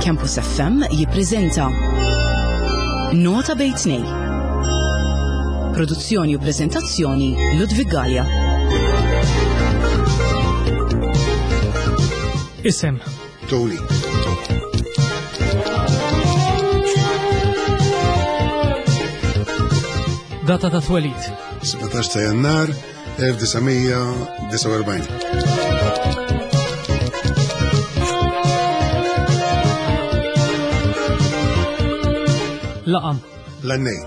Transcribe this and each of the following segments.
Campus FM jippreżenta Nota bejn tnej. Produzzjoni u preżentazzjoni Ludwig Gallia. Isem. Tony. Data ta' twelid. 17 ta' jannar 1949. Laqam. L-għannej.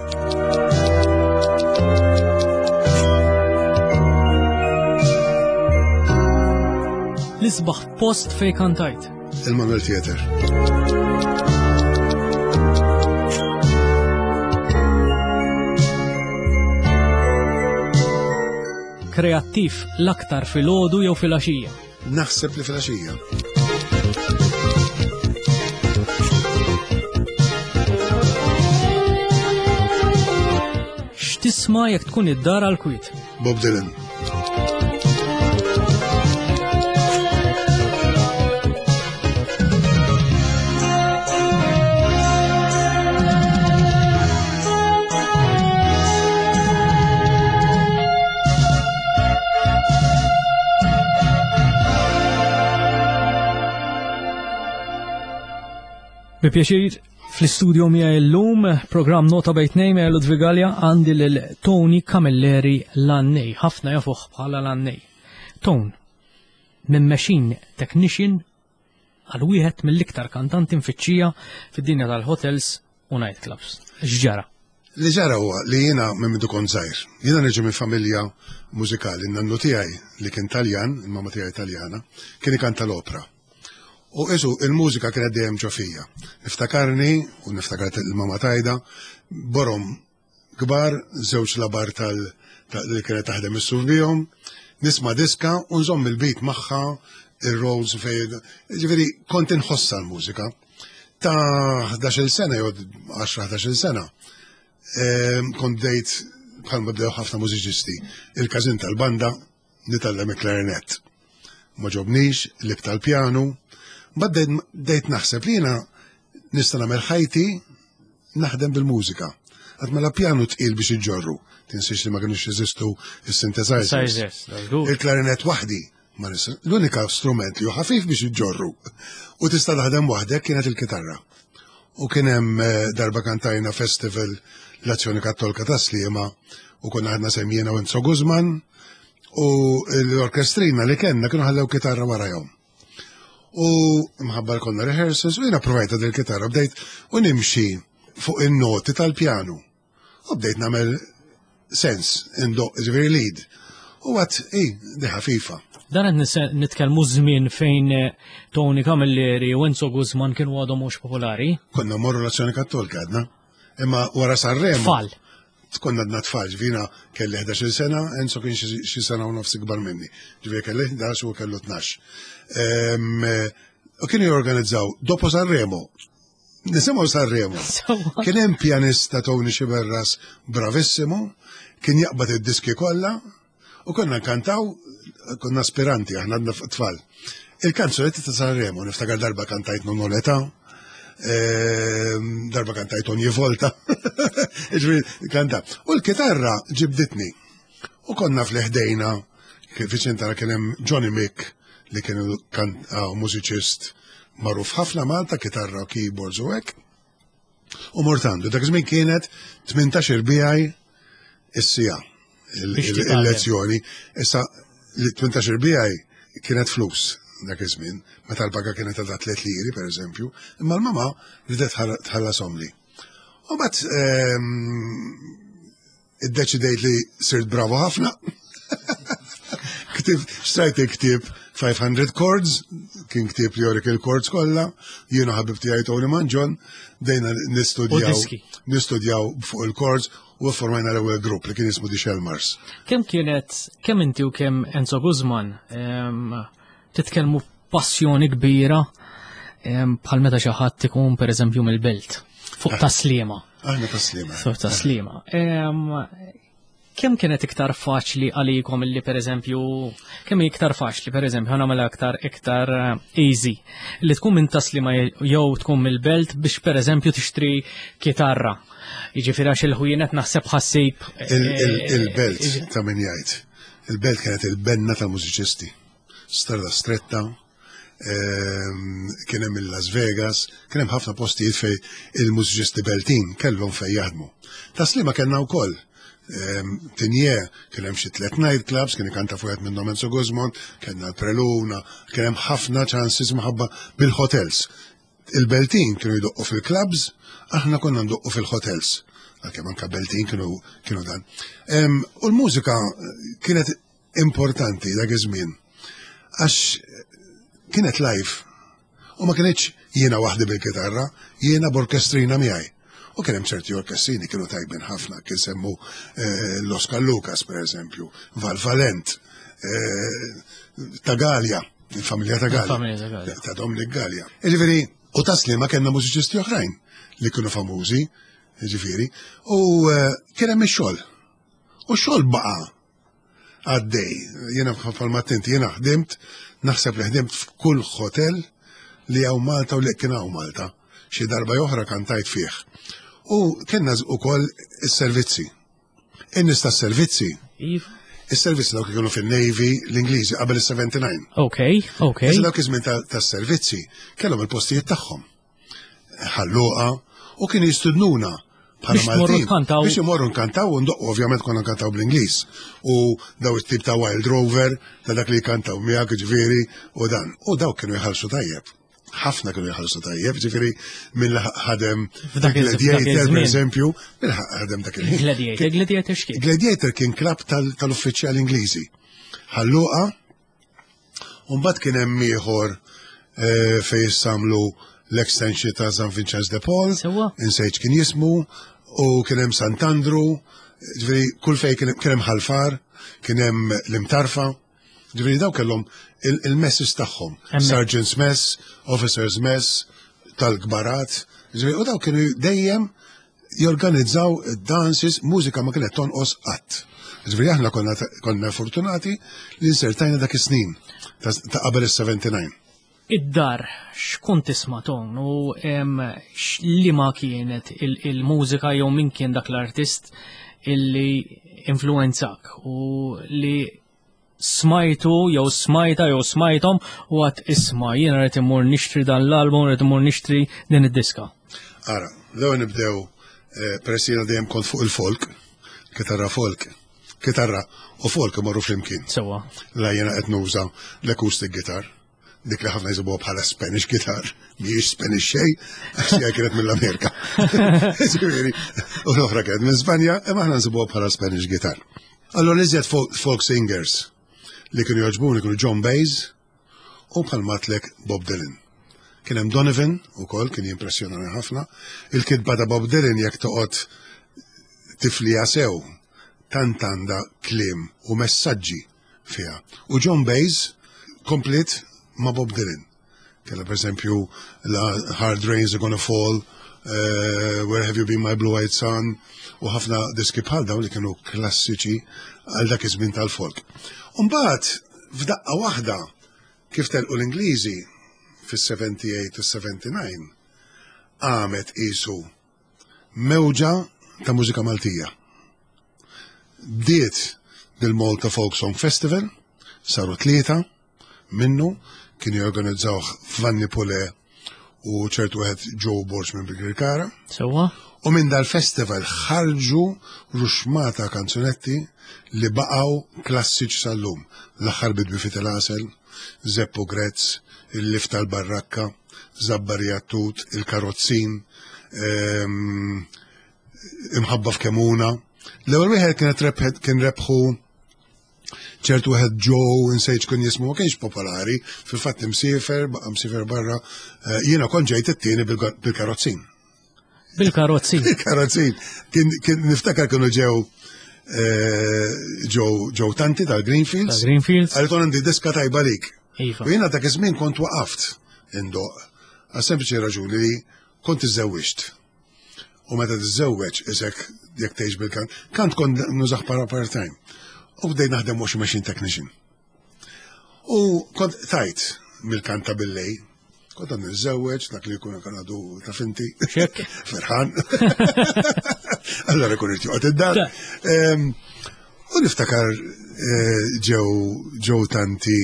L-isbaħ post fej kantajt. Il-Manuel Theater. Kreattiv l-aktar filgħodu jew filgħaxija? Naħseb li filgħaxija. X'tisma' jekk tkun id-dar għal kwiet? Bob Dylan. Bi pjaċir fl-istudio miegħi llum programm Nota bejn tnejn miegħi Ludwig Galea għandi lil Tony Camilleri Lannej, ħafna jafuh bħala Lannej. Tone, minn machine technician għal wieħed mill-iktar kantanti mfittxija fid-dinja tal-hotels u nightclubs. X'ġara? Li ġara huwa li jiena minn mindu kont żgħir. Jiena niġi minn familja mużikali. N-nannu tiegħi li kien Taljan, il-mamma tiegħi Taljana, kien ikanta l-opra. U isu il-mużika kienet dejjem ġo fija. Niftakarni, u niftakar il-mamma tajda, borom kbar, żewġ labar tal li kienet taħdem is-suf bihom, nisma' diska u nżomm il-beat magħha, ir-rolls fejn, ġifieri kont inħossha l-mużika. Ta' 11-il sena jew 10-11-il sena, ehm, kont bdejt bħalma bdew ħafna mużiċisti, il-każin tal-banda nitgħallem il-klarinett. Ma ġobnix, lib tal-pjanu, mbagħad bdejt naħseb li jiena nista' nagħmel ħajti naħdem bil-mużika. Għad mela pjanu tqil biex iġġorru, tinsiex li ma kienux jeżistu is-synthesizers. Il-klarinett waħdi, ma nista' l-unika strument li hu ħafif biex iġġorru u tista' taħdem waħdek kienet il-kitarra. U kien hemm eh, darba kantajna festival l-Azzjoni Kattolka ta' Sliema u konna ħadna sem jiena u Enzo Guzman u l-orkestrina li kellna kienu ħallew kitarra warajhom. U mħabba konna rehearsals u jiena provajta dil kitarra bdejt u nimxi fuq in-noti tal-pjanu. U bdejt nagħmel sens indoq ġifieri lead. U għat, i, di ħafifa. Dan qed nitkellmu żmien fejn eh, Tony Camilleri u Enzo Guzman kienu għadhom mhux popolari. Konna morru l-Azzjoni Kattolika għadna. Imma wara Sanremo. Tfal. Konna għadna tfal, ġvina kelli 11 sena, Enzo kien xi sena u nofs ikbar minni. Ġvina kelli 11 u kellu 12. Ehm, u kienu jorganizzaw dopo Sanremo. Nisimgħu Sanremo. Kien hemm pjanista Tony Xiberras bravissimo, kien jaqbad id-diski kollha u konna nkantaw, konna aspiranti aħna għadna tfal. Il-kanzunetti ta' Sanremo, niftakar darba kantajt Non Età, ehm, darba kantajt Ogni Volta, kanta. U l-kitarra ġibditni. U konna fl-ħdejna, viċin tara kien hemm Johnny Mick li kien ah, mużiċist magħruf ħafna Malta, kitarra, keyboards u hekk. U mort għandu, dak iż-żmien kienet 18 bijaj is-sija il-lezzjoni. Issa li 18 bijaj kienet flus dak iż-żmien, meta l-paga kienet ta' 3 liri pereżempju, imma l-mama ridet tħallasom li. U bat ehm, iddeċidejt li sirt bravo ħafna. Ktib, xtrajt il-ktib 500 Chords, kien ktib li jorik il-chords kollha, jiena ħabib tiegħi Tony Manġon, dejna nistudjaw nistudjaw fuq il-chords u formajna l-ewwel grupp li kien jismu The Shelmars. Kemm kienet, kemm inti u kemm Enzo Guzman titkellmu passjoni kbira bħal meta xi ħadd ikun pereżempju mill-belt fuq ah. taslima. Aħna taslima. Fuq taslima. Kemm kienet iktar faċli għalikom illi pereżempju, kemm hi iktar faċli pereżempju ħa nagħmilha aktar iktar eh, easy li tkun minn taslima jew tkun mill-belt biex pereżempju tixtri kitarra. Jiġifieri għax il-ħwienet naħseb ħassib. Eh, il-belt eh, ta' min jgħid. Il-belt kienet il-benna tal-mużiċisti. Strada stretta, Ehm, kien hemm il-Las Vegas, kien hemm ħafna postijiet fej il-mużiċisti Beltin kellhom fej jaħdmu. Taslima kellna wkoll. Ehm, Tinje, kien hemm xi tliet night clubs, kien ikanta fuq minnhom Enzo Guzman, kellna l-Preluna, kien hemm ħafna chances maħabba bil-hotels. Il-Beltin kienu jdoqqu fil-clubs, aħna konna ndoqqu fil-hotels. Għalkemm anka Beltin kienu kienu dan. Ehm, u l-mużika kienet importanti dak iż-żmien għax kienet live u ma kienx jiena waħdi bil-kitarra, jiena b'orkestrina miegħi. U kien hemm ċerti orkestrini kienu tajbin ħafna, kien semmu eh, l-Oscar Lucas per eżempju, Val Valent, eh, ta' Gallia, il-familja ta' Gallia, ta' Dominic Gallia. Ġifieri, u taslima kellna mużiċisti oħrajn li kienu famużi, ġifieri, u eh, kien hemm ix-xogħol. U x-xogħol baqa' għaddej. Jiena bħalma tinti, jiena ħdimt, naħseb li ħdimt f'kull hotel li hawn Malta u li kien hawn Malta. Xi darba oħra kantajt fih. U kellna ukoll is-servizzi. In-nies tas-servizzi. Iva. Is-servizzi dawk kienu fin-Navy l-Ingliżi qabel is-79. Ok, ok. Issa dawk iż-żmien tas-servizzi kellhom il-postijiet tagħhom. ħalluqa u kienu jistudnuna bħala Maltin. Biex imorru nkantaw u ndoqqu ovvjament konna nkantaw bl-Ingliż. U daw it-tip ta' Wild Rover, ta' dak li jkantaw miegħek ġifieri u dan. U daw kienu jħallsu tajjeb. Ħafna kienu jħallsu tajjeb, ġifieri minn ħadem Gladiator, per eżempju, minn ħadem dak il Gladiator, Gladiator x'kien? Gladiator kien klab tal-uffiċjal Ingliżi. Ħalluqa Umbat kien hemm ieħor eh, fejn jissamlu l-extension ta' San Vincenz de Paul, insejt kien jismu, u kien hemm Sant'Andru, ġifieri kull fejn kien hemm Ħalfar, kien hemm l-Imtarfa, ġifieri daw kellhom il-messes tagħhom, Sergeant's Mess, Officers Mess, tal-kbarat, ġifieri u daw kienu dejjem jorganizzaw dances, mużika ma kienet tonqos qatt. Ġifieri aħna konna, konna fortunati li nsertajna dak is-snin ta' qabel is-79. Id-dar, x'kont tisma' ton u li ma kienet il-mużika jew min kien dak l-artist illi influenzak u li smajtu jew smajta jew smajthom u għat isma' jiena rrid immur nixtri dan l-album, rrid immur nixtri din id-diska. Ara, l-ewwel nibdew eh, peress jiena dejjem kont fuq il-folk, kitarra folk, kitarra u folk imorru flimkien. Sewa. La jiena qed nuża l-acoustic guitar dik li ħafna jisibuha bħala Spanish guitar, mhijiex Spanish xejn, għax hija kienet mill-Amerika. Ġifieri, u l-oħra kienet minn Spanja, imma aħna nsibuha bħala Spanish guitar. Allora iżjed folk singers li kienu jogħġbuni kienu John Baez u bħal matlek Bob Dylan. Kien hemm Donovan ukoll kien jimpressjonani ħafna. Il-kitba ta' Bob Dylan jekk toqgħod tifliha sew tant għandha kliem u messaġġi fiha. U John Baez komplit ma' Bob Dylan. Kella per esempio la Hard Rains Are Gonna Fall, uh, Where Have You Been My Blue Eyed Son, u ħafna diski bħal dawn li kienu klassiċi għal dak iż-żmien tal-folk. Umbagħad f'daqqa waħda kif telqu l-Ingliżi fis-78 u 79 għamet qisu mewġa ta' mużika Maltija. Bdiet bil-Malta Folk Song Festival, saru tlieta minnu, kienu jorganizzawh Vanni Pule u ċertu wieħed Joe Borg minn Birkirkara. Sewwa. U minn dal-festival ħarġu ruxmata kanzunetti li baqgħu klassiċi sal-lum. L-aħħar bidwi fit il-għasel, Zeppu Grezz, il-Lif tal-Barrakka, Zabbar Jattut, il-Karozzin, ehm, imħabba f'Kemuna. L-ewwel wieħed kienet rebħet kien rebħu ċertu wieħed Joe insejt kun jismu ma kienx popolari, fil-fatt imsiefer, baqa' msiefer barra, eh, jiena kont ġejt it-tieni bil-karozzin. Bil-karozzin. Bil-karozzin. Kien niftakar kienu ġew eh, ġew tanti tal-Greenfields. Tal-Greenfields. Għal għandi diska tajba lik. Iva. U jiena dak iż-żmien kont waqaft indoq. Għal sempliċi raġuni li kont iżżewwiġt. U meta tiżżewweġ isek jekk tgħix bil-kant, kant kont nużah para part-time. U bdejt naħdem washing machine technician. U kont tajt mill-kanta billej, kont għad niżżewweġ, dak li jkun kan għadu ta' finti. Ferħan. Allora kun irid joqgħod id-dar. U niftakar eh, ġew ġew tanti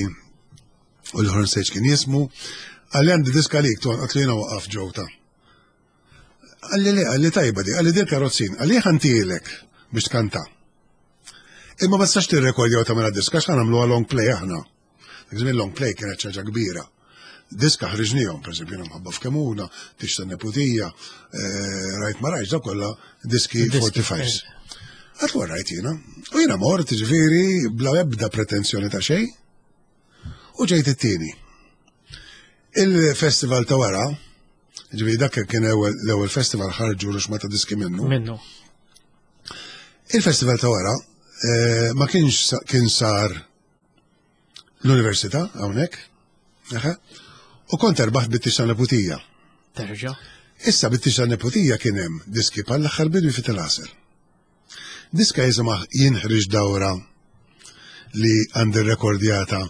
u l-ħorn sejġ kien jismu, għalli għandi diska lik, ton għatli jena waqaf ġew ta' Għalli le, għalli tajba di, għalli dir karozzin, għalli ħantilek biex tkanta. Imma ma tistax tirrekordja u tagħmilha diska x'ħa nagħmluha long play aħna. Dak żmien long play kienet ċaġa kbira. Diska ħriġnihom, pereżempju jiena mħabba f'Kemuna, tix tan-neputija, eh, rajt ma rajt, kollha diski 45. Eh. Għatlu rajt jiena. U jiena mort, ġifieri, bla ebda pretenzjoni ta' xejn. U ġejt it-tieni. Il-festival ta' wara, ġifieri dak kien l-ewwel festival ħarġu ruxma ta' diski minnu. Minnu. Il-festival ta' wara eh, ma kienx kien sar l-università hawnhekk, u kont erbaħt bit-tix ta' neputija. Terġa'. Issa bit-tix ta' neputija kien hemm diski bħal l-aħħar bidwi fit-il Diska jisimha Jien ħriġt dawra li għandi rekordjata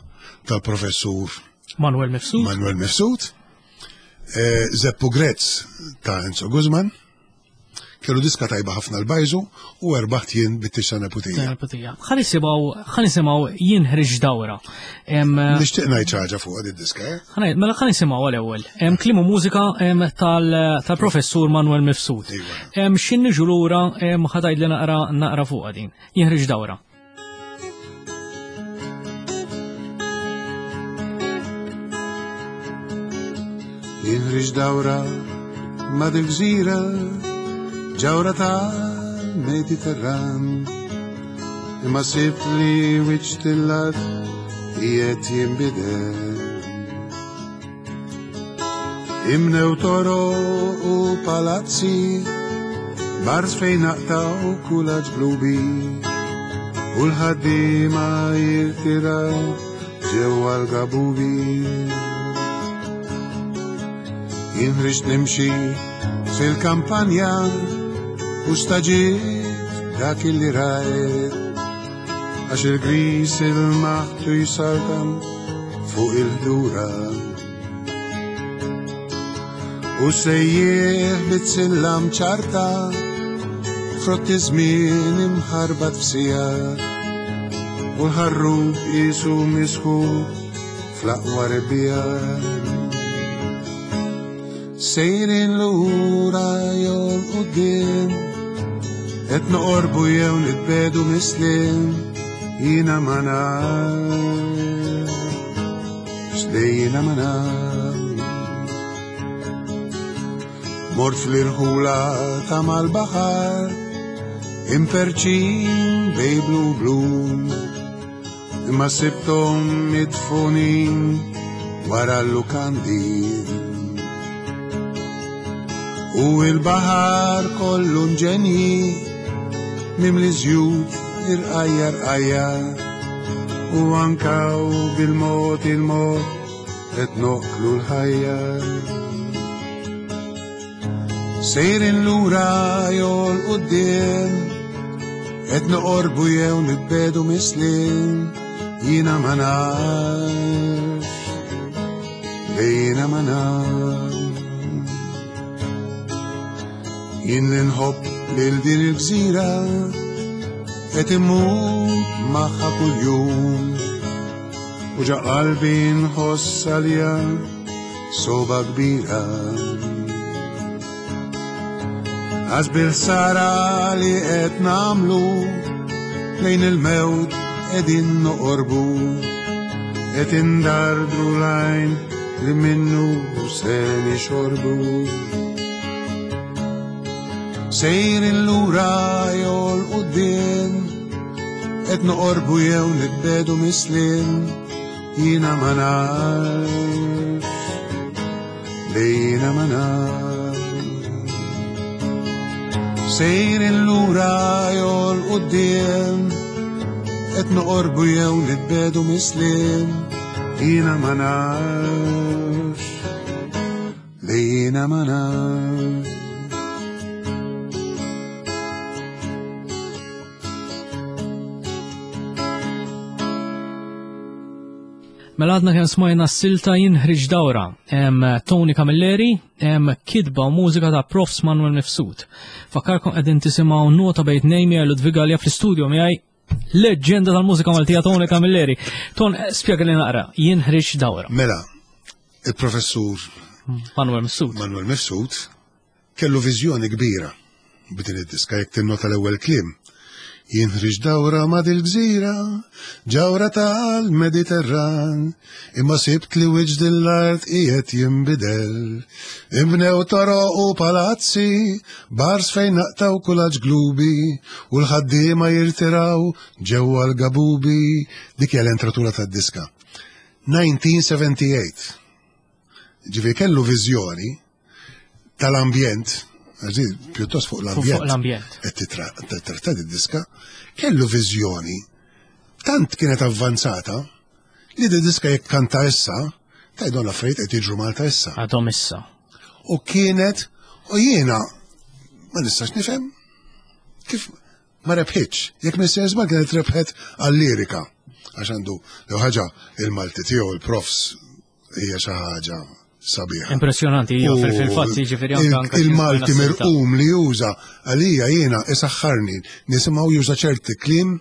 tal-professur Manuel Mifsud. Manuel Mifsud. Eh, Zeppu Grezz ta' Enzo Guzman. Kellu diska tajba ħafna l-bajżu u erbaħt jien bit-tixta neputija. Neputija. Ħa nisimgħu jien ħriġ dawra. Eh, Nixtieq ngħid xi ħaġa fuq din diska. Eh? Mela ħa nisimgħu għal-ewwel. Kliem u mużika tal-professur Manuel Mifsud. Iva. X'in niġu lura ħa tgħidli naqra naqra fuqha din. Jien ħriġ dawra. Jinħriġ dawra ma dil-gżira ġawra tal-Mediterran imma sibt li wiċċ tillat qiegħed jinbidel. Imnew toro u palazzi, bars fejn naqtaw kulaġ blubi, u l-ħaddiema jirtiraw ġewwa l-gabubi. Jien rixt nimxi fil-kampanja u staġit dak illi rajt għax il-gris il-maħtu jisaltan fuq il-ħdura. U sejjieħ bit-sillam ċarta frott iż-żmien imħarbat f'sija u l-ħarrub qisu misħu fl-aqwa rebbija. Sejrin lura jew quddiem qed noqorbu jew nitbedu mislim jiena ma nafx li jiena ma nafx. Mort fl-irħula ta' mal-baħar imperċin bej blu blu imma sibthom midfunin wara l-lukandi. U il-baħar kollu nġenji mimli żjut irqajja rqajja u anka u bil-mod il-mod qed noqtlu l-ħajja. Sejrin lura jew l-quddiem, qed noqorbu jew nibbedu mislin, jiena ma nafx, jiena ma nafx. Jien li nħobb lil din il-gżira, qed immut magħha kuljum, u ġa qalbi nħoss għalija soba kbira. Għax bil-ħsara li qed nagħmlu lejn il-mewt qegħdin noqorbu, qed indardru l-għajn li minnu se nixorbu. Sejrin lura jew l-quddiem, qed noqorbu jew nitbedu misliem, jiena ma nafx, li jiena ma nafx. Sejrin lura jew l-quddiem, qed noqorbu jew nitbedu misliem, jiena ma nafx, li jiena ma nafx. Mela għadna kemm smajna s-silta jinħriġ dawra. Hemm Tony Camilleri, hemm kitba u mużika ta' Profs Manuel Mifsud. Fakkarkom qegħdin tisimgħu nota bejn Nejmi Ludwig Gallia fl-istudio miegħi leġġenda tal-mużika Maltija Tony Camilleri. Ton, spjega li naqra, jinħriġ dawra. Mela, il-professur Manuel Mifsud. Manuel Mifsud Kellu viżjoni kbira b'din id-diska jekk tinnota l-ewwel kliem. Jien ħriġt dawra ma' dil-gżira, ġawra tal-Mediterran, imma sibt li wiċċ din l-art qiegħed jinbidel. Inbnew toroq u palazzi, bars fejn naqtgħu kulaġġ glubi, u l-ħaddiema jirtiraw ġewwa l-gabubi. Dik hija l-entratura tad-diska. 1978. Ġifieri kellu viżjoni tal-ambjent, pjuttost fuq l-ambjent. Fuq l-ambjent. Qed titratta diska, kellu viżjoni tant kienet avvanzata li di diska jekk kanta issa, tgħidhom l-affarijiet qed jiġru Malta issa. Għadhom issa. U kienet u jiena ma nistax nifhem kif ma rebħitx. Jekk minn sejjer żball kienet rebħet għal-lirika. Għax għandu l ħaġa il-Malti tiegħu il-profs hija xi ħaġa sabiħa. Impressjonanti, hija fil-fatt jiġifieri anke il-Malti mirqum li juża għalija jiena isaħħarni nisimgħu juża ċerti kliem.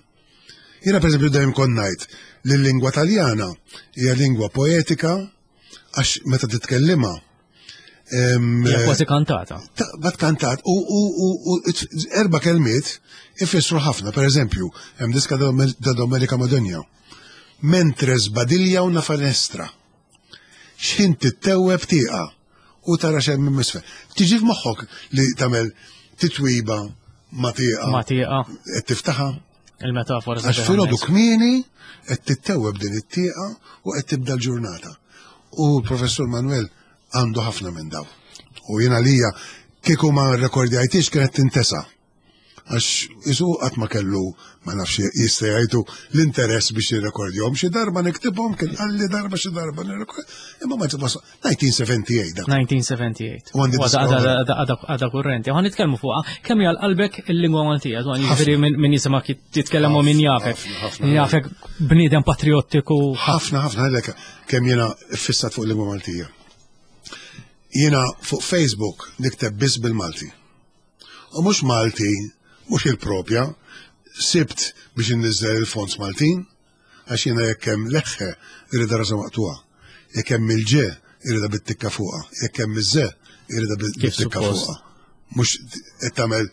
Jiena pereżempju dejjem kont ngħid li l-lingwa Taljana hija lingwa poetika għax meta titkellimha Hija kważi kantata. Bat kantat u erba' kelmiet ifissru ħafna, per eżempju, hemm diska da Domenica Madonna. Mentre sbadilja una fenestra. X'ħin tittewweb tieqa u tara x'hemm minn isfel. Tiġi f'moħħok li tagħmel titwiba ma' tieqa. Ma' tieqa. Qed tiftaħha. Il-metafora. Għax filgħodu kmieni qed tittewweb din it-tieqa u qed tibda l-ġurnata. U l-Professur Manuel għandu ħafna minn daw. U jiena lija kieku ma rrekordjajtix kienet tintesa. Għax isu qatt ma kellu, ma nafx jista' jgħidu l-interess biex jirrekordjhom. Xi darba niktibhom kien qalli darba xi darba nirrekord. Imma ma ġibha 1978 dak. 1978. U għandi għadha kurrenti. Ħa nitkellmu fuqha kemm hija qalbek il-lingwa Maltija, dwar jiġifieri min jisimgħek jitkellem u min jafek. Jafek bniedem patriottiku. Ħafna ħafna għalhekk kemm jiena ffissat fuq il-lingwa Maltija. Jiena fuq Facebook nikteb biss bil-Malti. U mhux Malti, mhux il-propja, sibt biex inniżżel il-fonts Maltin, għax jiena jekk hemm leħħe irridha rasa maqtugħa, jekk hemm il-ġe irridha bit-tikka fuqha, jekk hemm iż-ze irridha bit-tikka fuqha. Mhux qed tagħmel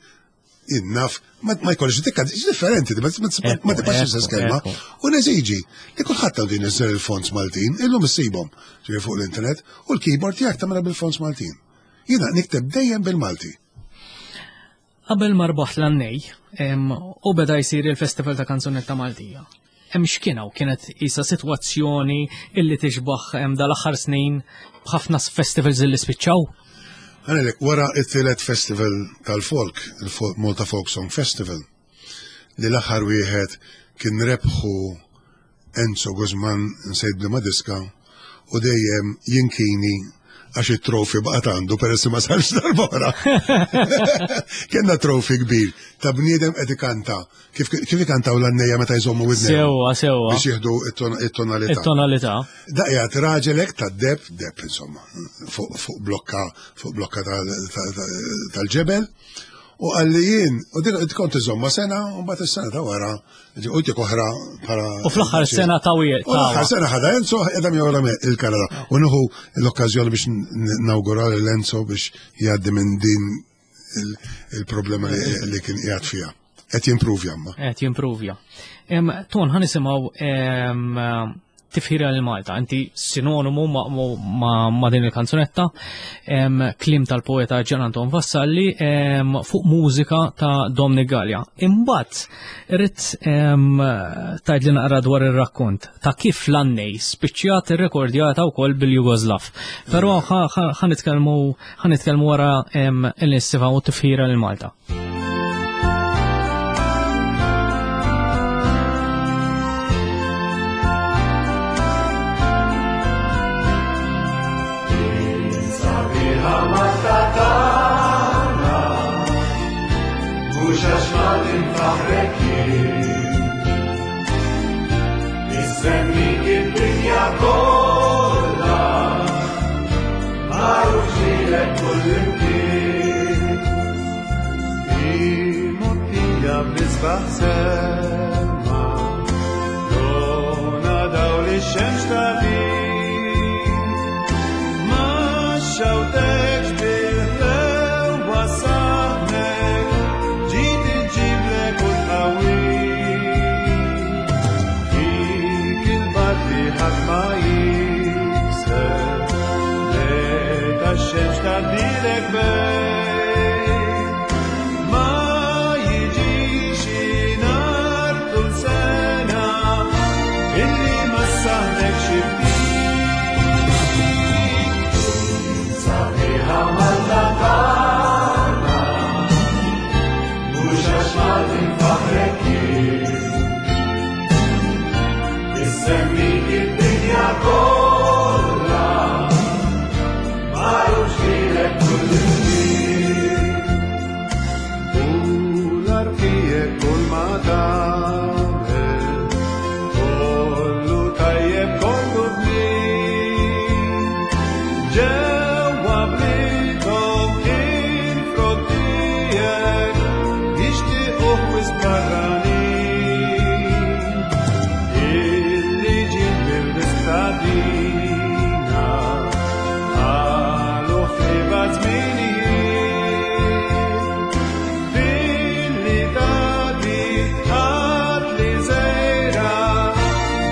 innaf, ma jkollix tikka differenti, ma tibqax l-istess kelma. U neżiġi li kulħadd għandu jniżżel il-fonts Maltin, illum issibhom fuq l-internet, u l-keyboard tiegħek tagħmilha bil-fonts Maltin. Jiena nikteb dejjem bil-Malti. Qabel ma rbaħt l-Annej u beda jsir il-Festival ta' Kanzunetta Maltija. Hemm x'kien hawn kienet isa sitwazzjoni illi tixbaħ dal-aħħar snin b'ħafna festivals illi spiċċaw? Għalek, wara it-tielet festival tal-folk, il-Malta Folk Song Festival, li l-aħħar wieħed kien rebħu Enzo Guzman nsejt b'liema diska u dejjem jinkini għax it-trofi baqgħet għandu peress ma sarx darbora. Kenna trofi kbir ta' bniedem qed ikanta. Kif kif ikantaw l-għannejja meta jżommu widnejhom. Sewwa, sewwa. Biex jieħdu it-tonalità. It-tonalità. Daqjat raġel hekk ta' deb, deb insomma, fuq blokka, fuq blokka tal-ġebel. U qalli jien, u dik kont iżomma sena, u mbagħad is-sena ta' wara U dik oħra bħala. U fl-aħħar sena ta' U l-aħħar sena ħada Enzo qiegħda miegħu il-Kanada. U nieħu l-okkażjoni biex nawgura lil Enzo biex jgħaddi minn din il-problema li kien qiegħed fiha. Qed jimpruvja ma. Qed jimpruvja. Ton ħa nisimgħu tifħira lil Malta. Inti sinonimu ma, ma, ma din il-kanzunetta, klim tal-poeta Ġan Anton Vassalli fuq mużika ta' Dominic Gallia. Imbagħad irrid tgħidli naqra dwar ir-rakkont ta' kif l-annej spiċċjat irrekordjata wkoll bil-Jugoslav. Però ħa nitkellmu wara il-nisimgħu tifħira lil Malta. id-dinja kollha, magħruf ġmielek kullimkien. Imgħottija bl-isbaħ sema, dona dawl ix-xemx tagħtik. Ma xawtekx bil-ħlewwa saħnek, ġiet iġġiblek u tqawwik. Fik il-bard li ħadd ma jikser, meta x-xemx tgħaddilek bejn. Ma jiġix nhar tul sena illi ma ssaħħnek xi ftit. Sabiħa Malta tagħna, mhux għax Malti nfaħħrek jien. Issemmik id-dinja kollha, magħruf ġmielek kullimkien. U l-arkijiet kull ma tagħmel, kollu tajjeb kollu bnin. Ġewwa bliethom il-frott tiegħek jixtiequh wisq barranin. Illi ġiet mill-istadina qalu ħliba żminijiet. Billi tagħti ħadd li żejra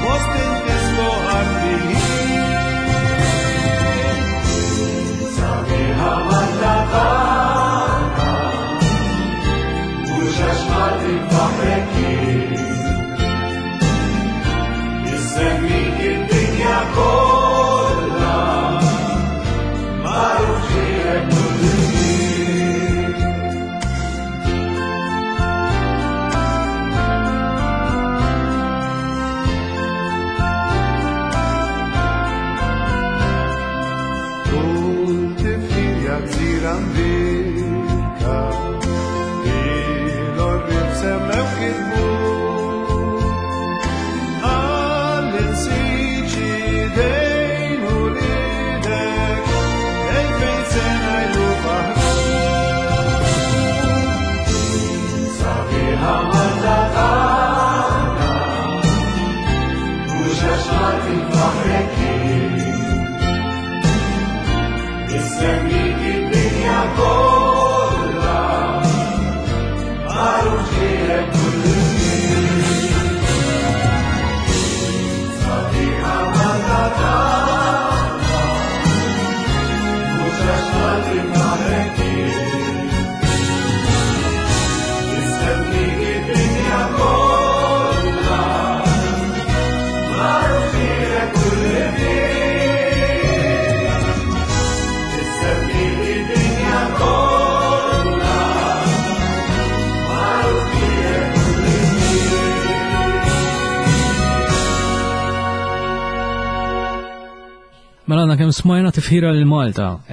fost intismu artijiet. Sabiħa Malta tagħna, mhux għax Malti nfaħħrek jien. Issemmik id-dinja kollha, magħruf ġmielek kullimkien. Kull tifħir ja gżira mbierka, il-orrib semmew kitbu. Għall-insiġ idejn u lidek, elfejn sena ilu faħru. Sabiħa Malta tagħna, mhux għax Malti nfaħħrek jien. Issemmik id-dinja kollha, magħruf ġmielek kullimkien. Sabiħa Malta tagħna, mhux għax Malti nfaħħrek jien. Issemmik id-dinja kollha, magħruf ġmielek kullimkien. Issemmik id-dinja kollha, magħruf ġmielek kullimkien. Mela għandna kemm smajna tifħira lil Malta,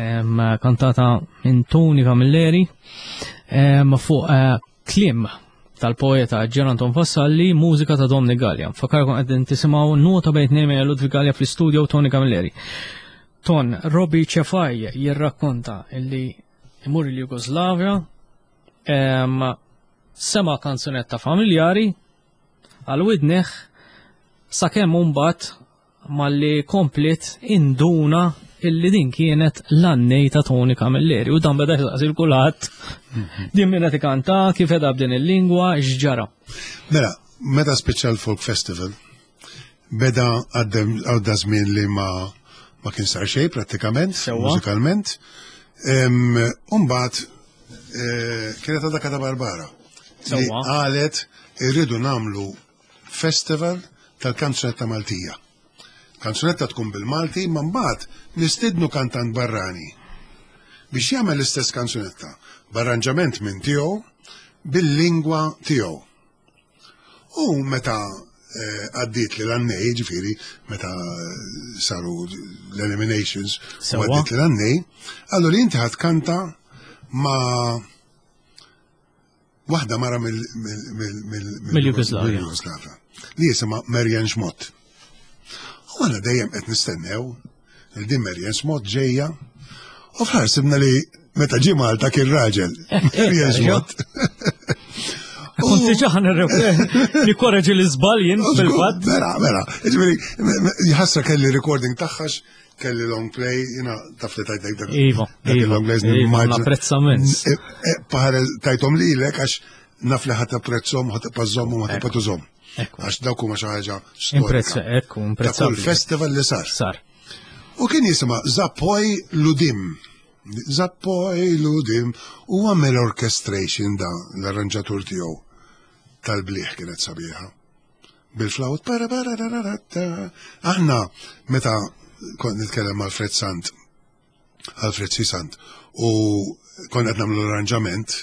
kantata minn Tony Camilleri, fuq kliem tal-poeta Ġer Anton Vassalli, mużika ta' Dominic Galea. Fakkarkom qegħdin tisimgħu Nota bejn tnejn minn Ludwig Galea fl-istudio Tony Camilleri. Ton, Robbie Cefai jirrakkonta illi imur il-Jugoslavja, sema kanzunetta familjari għal widneħ sakemm mbagħad malli komplet induna illi din kienet l-annej ta' Tony Camilleri u dan beda jisaqsi l-kulħadd. Din minna tikanta, kif edha b'din il-lingwa, x'ġara. Mela, meta spiċċa l-Folk Festival, beda għadda żmien li ma kien sar xejn prattikament, mużikalment. Umbagħad kienet għadha Kata Barbara. Li qalet irridu nagħmlu festival tal-kanzunetta Maltija. Kanzunetta tkun bil-Malti, ma mbagħad nistidnu kantant barrani biex jagħmel l-istess kanzunetta b'arranġament minn tiegħu bil-lingwa tiegħu. U meta għaddiet li l-annej, ġifieri, meta saru l-eliminations, u għaddiet li l-annej, allura inti ħad kanta ma' waħda mara Mill-Jugoslavja. mill-Jugoslavja, li jisimha Marianne Schmott. U għana dejjem qed nistennew il-din Marian Smot ġejja u fl sibna li meta ġie Malta kien raġel. Marian Smot. Kont diġà nikkoreġi l-iżbal jien fil-fatt. Vera, vera. Ġifieri, jħassra kelli recording tagħha kelli long play, jina taf li tajtek dak. Iva, iva. Long plays iva, Apprezzament. E, e, Paħar tajtom lilek għax naf li ħat apprezzom, ħat pazzom u ħat patużom. Għax dawk huma xi ħaġa storika. Ekku, imprezzabbli. Ta' kull festival li sar. Sar. U kien jisma' Zappoj Ludim. Zappoj Ludim u għamel orchestration da l-arranġatur tiegħu tal-bliħ kienet sabiħa. Bil-flawt para para Aħna meta kont nitkellem mal Fred Sant Alfred Sisant u konna qed nagħmlu l-arranġament,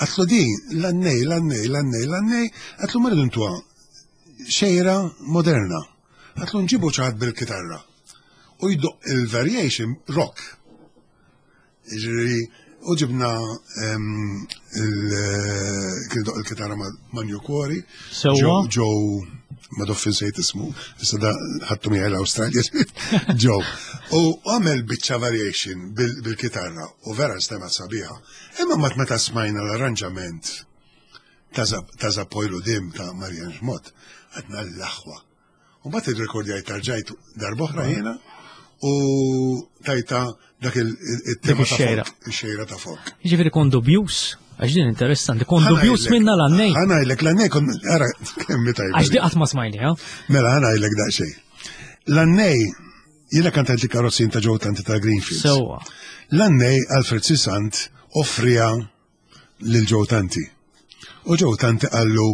għatlu din l-annej, l-annej, l-annej, l-annej, għatlu ma rridu ntuha xejra moderna. Għatlu nġibu ċaħat bil-kitarra. U jdoq il-variation rock. Ġifieri, u ġibna kien doq il-kitarra ma' New Quarry. Sewwa. Joe ma doffin sejt ismu, issa da ħattu miegħi l-Awstralja. Joe. U għamel biċċa variation bil-kitarra u vera nstemat sabiħa. Imma mat meta smajna l-arranġament ta' Zappojlu Dim ta' Marian Xmot, għadna l-aħwa. U mbagħad irrekordjajt tarġajt darb'oħra jiena u tajta dak il-tema ta' xejra. Xejra ta' folk. Jiġifieri kon dubjus, għax din interessanti, kon dubjus minna l-għannej. Ħanajlek l-għannej kon ara kemm tajba. Għax di qatt ma smajni, ha? Mela ħanajlek daqsxejn. L-għannej jiena kantajt li karozzin ta' ġew tanti ta' Greenfield. Sewwa. L-għannej Alfred Sisant offrija lil Joe Tanti. U Joe Tanti qallu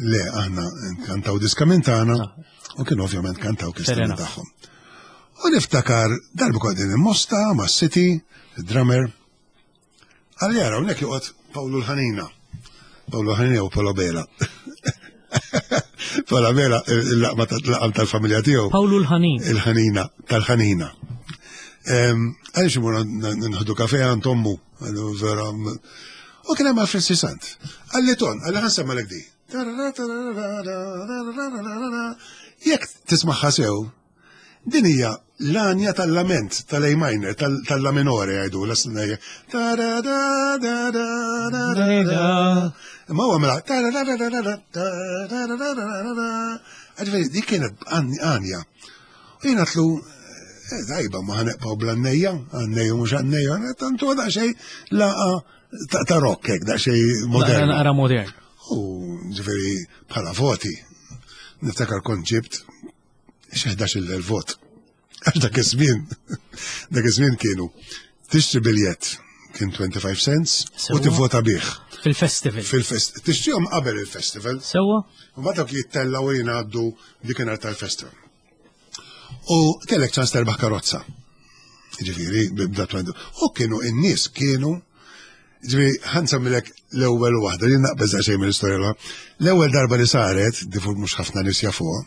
le aħna kantaw diska minn tagħna ah. u kien ovvjament kantaw kista minn tagħhom. U niftakar darba kont din il-mosta ma' City, il-drummer, għalli jara hawnhekk joqgħod Pawlu l-Ħanina. Pawlu l-Ħanina u Polo Bela. Polo Bela, il-laqma tal-familja tiegħu. Pawlu l-Ħanin. Il-Ħanina, tal-Ħanina. Għaliex imur nħdu kafe għand ommu. Għallu vera. U kien hemm Alfred Sisant. Għalli ton, għalli ħansemma lek di. Jekk tismaħħa sew, din hija l-anja tal-lament tal-A minor, tal-la minore jgħidu, l-asnajja. Imma huwa mela. Ġifieri dik kienet anja. U jien għatlu, eh, tajba ma ħaneqpaw bl-għannejja, għannejja mhux għannejja, tantu daqsxejn laqa ta' rock hekk, daqsxejn modern. Naqra modern. U ġifieri bħala voti, niftakar kont ġibt xi 11 vot. Għax dak iż-żmien, dak iż-żmien kienu tixtri biljett kien 25 cents u tivvota bih. Fil-festival. Fil-festival. Tixtrihom qabel il-festival. Sewwa. U mbagħad dawk jittellgħu jingħaddu dikinhar tal-festival. U kellek ċans terbaħ karozza. Ġifieri, bda U kienu in-nies kienu Ġifieri, ħansemmilek l-ewwel waħda, li naqbeż daqsxejn mill-istorja l L-ewwel darba li saret, difu mhux ħafna nies jafuha,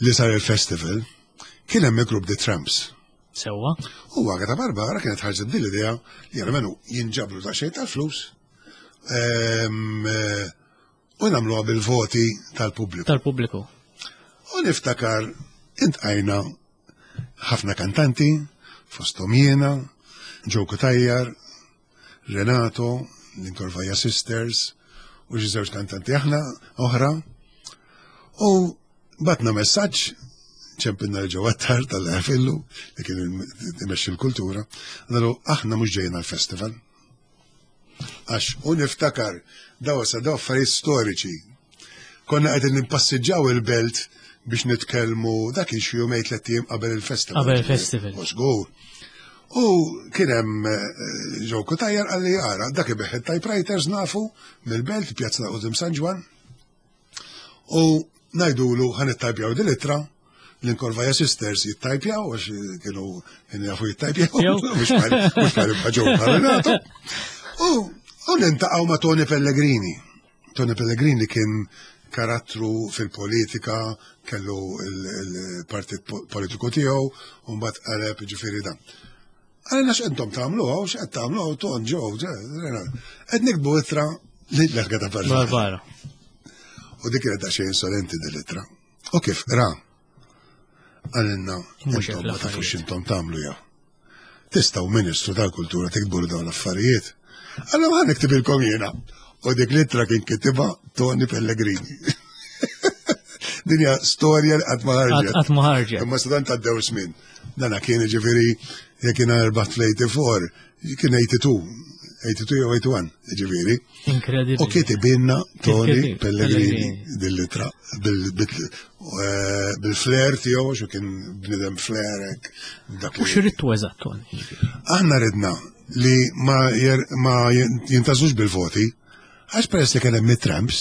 li sar il-festival, kien hemm il-grupp The Tramps. Sewwa. U Agata Barbara kienet ħarġet din l-idea li għalmenu jinġabru daqsxejn tal-flus ehm, eh, u nagħmluha bil-voti tal-pubbliku. Tal-pubbliku. U niftakar intqajna ħafna kantanti, fosthom jiena, Joe Cutajar, Renato, l-Incorvaja Sisters, u xi żewġ kantanti aħna oħra. U batna messaġġ ċempinna l ġewwa tar tal-ħafillu li kien imexxi l-kultura, għallu aħna mhux ġejjin għall-festival. Għax u niftakar daw sa daw affarijiet storiċi. Konna qegħdin nimpassiġġaw il-belt biex nitkellmu dak kien xi jumejn tliet ijiem qabel il-festival. Qabel il-festival. U żgur. U kien hemm eh, Joe Cutajar qalli ara dak ibigħ it-typewriters nafu mill-belt pjazza ta' qudiem San Ġwann. U ngħidulu ħa nittajpjaw din l-ittra l-Incorvaja Sisters jittajpjaw għax kienu kienu jafu jittajpjaw mhux bħal bħal Renato. U u nintaqgħu ma' Tony Pellegrini. Tony Pellegrini kien karattru fil-politika, kellu il-partit politiku tiegħu, u mbagħad qaleb ġifieri dan. Għalina x'intom tagħmlu hawn, x'qed tagħmlu hawn ton ġew, qed nikbu ittra li l-erga ta' Barbara. U dik kienet daqsxejn insolenti din l-ittra. U kif ra? Għalinna, intom ma tafux intom tagħmlu jew. Tistgħu Ministru tal-Kultura tiktbu dawn l-affarijiet. Allora ħa niktibilkom jiena. U dik l-ittra kien kitibha Tony Pellegrini. Din hija storja li qatt ma ħarġet. Qatt ma ħarġet. Imma sadan tgħaddew żmien. Dana kien ġifieri jekk jiena rbaħt fl-84, kien 82, 82 jew 81, ġifieri. Inkredibbli. U kitibinna Tony Pellegrini dil-litra eh, bil-flair tiegħu xu kien bnidem flerek. U x'ridtu eżatt Tony? Aħna ridna li ma jintażux bil-voti, għax peress li kien hemm it-tramps,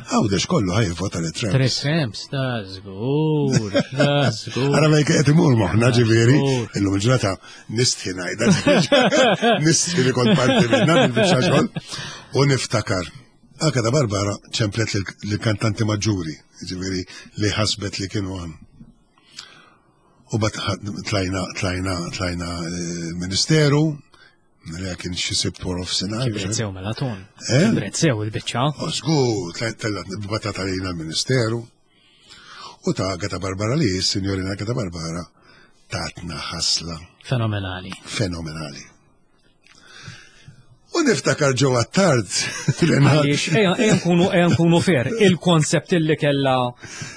Għawdex kollu ħaj vota li Trump. Tres Trumps, ta' zgur, ta' zgur. Għara ma jek imur moħna ġiviri, illum il-ġurnata nistħi najda, nistħi li kont parti minna bil-bicċa xogħol. U niftakar, anka da Barbara ċemplet l-kantanti maġġuri, ġiviri li ħasbet li kienu għan. U bat tlajna, tlajna, tlajna eh, ministeru, Mela kien xi sibt wara f'sinar. Kibret sew mela ton. Eh? Kibret sew il-biċċa. Oh, żgur, tellat batata lejna l-Ministeru. U ta' Agata Barbara li, signorina Agata Barbara, tatna ħasla. Fenomenali. Fenomenali. U niftakar ġo għattard. Għaliex, ejja nkunu ejja nkunu fair, il-konsept illi kella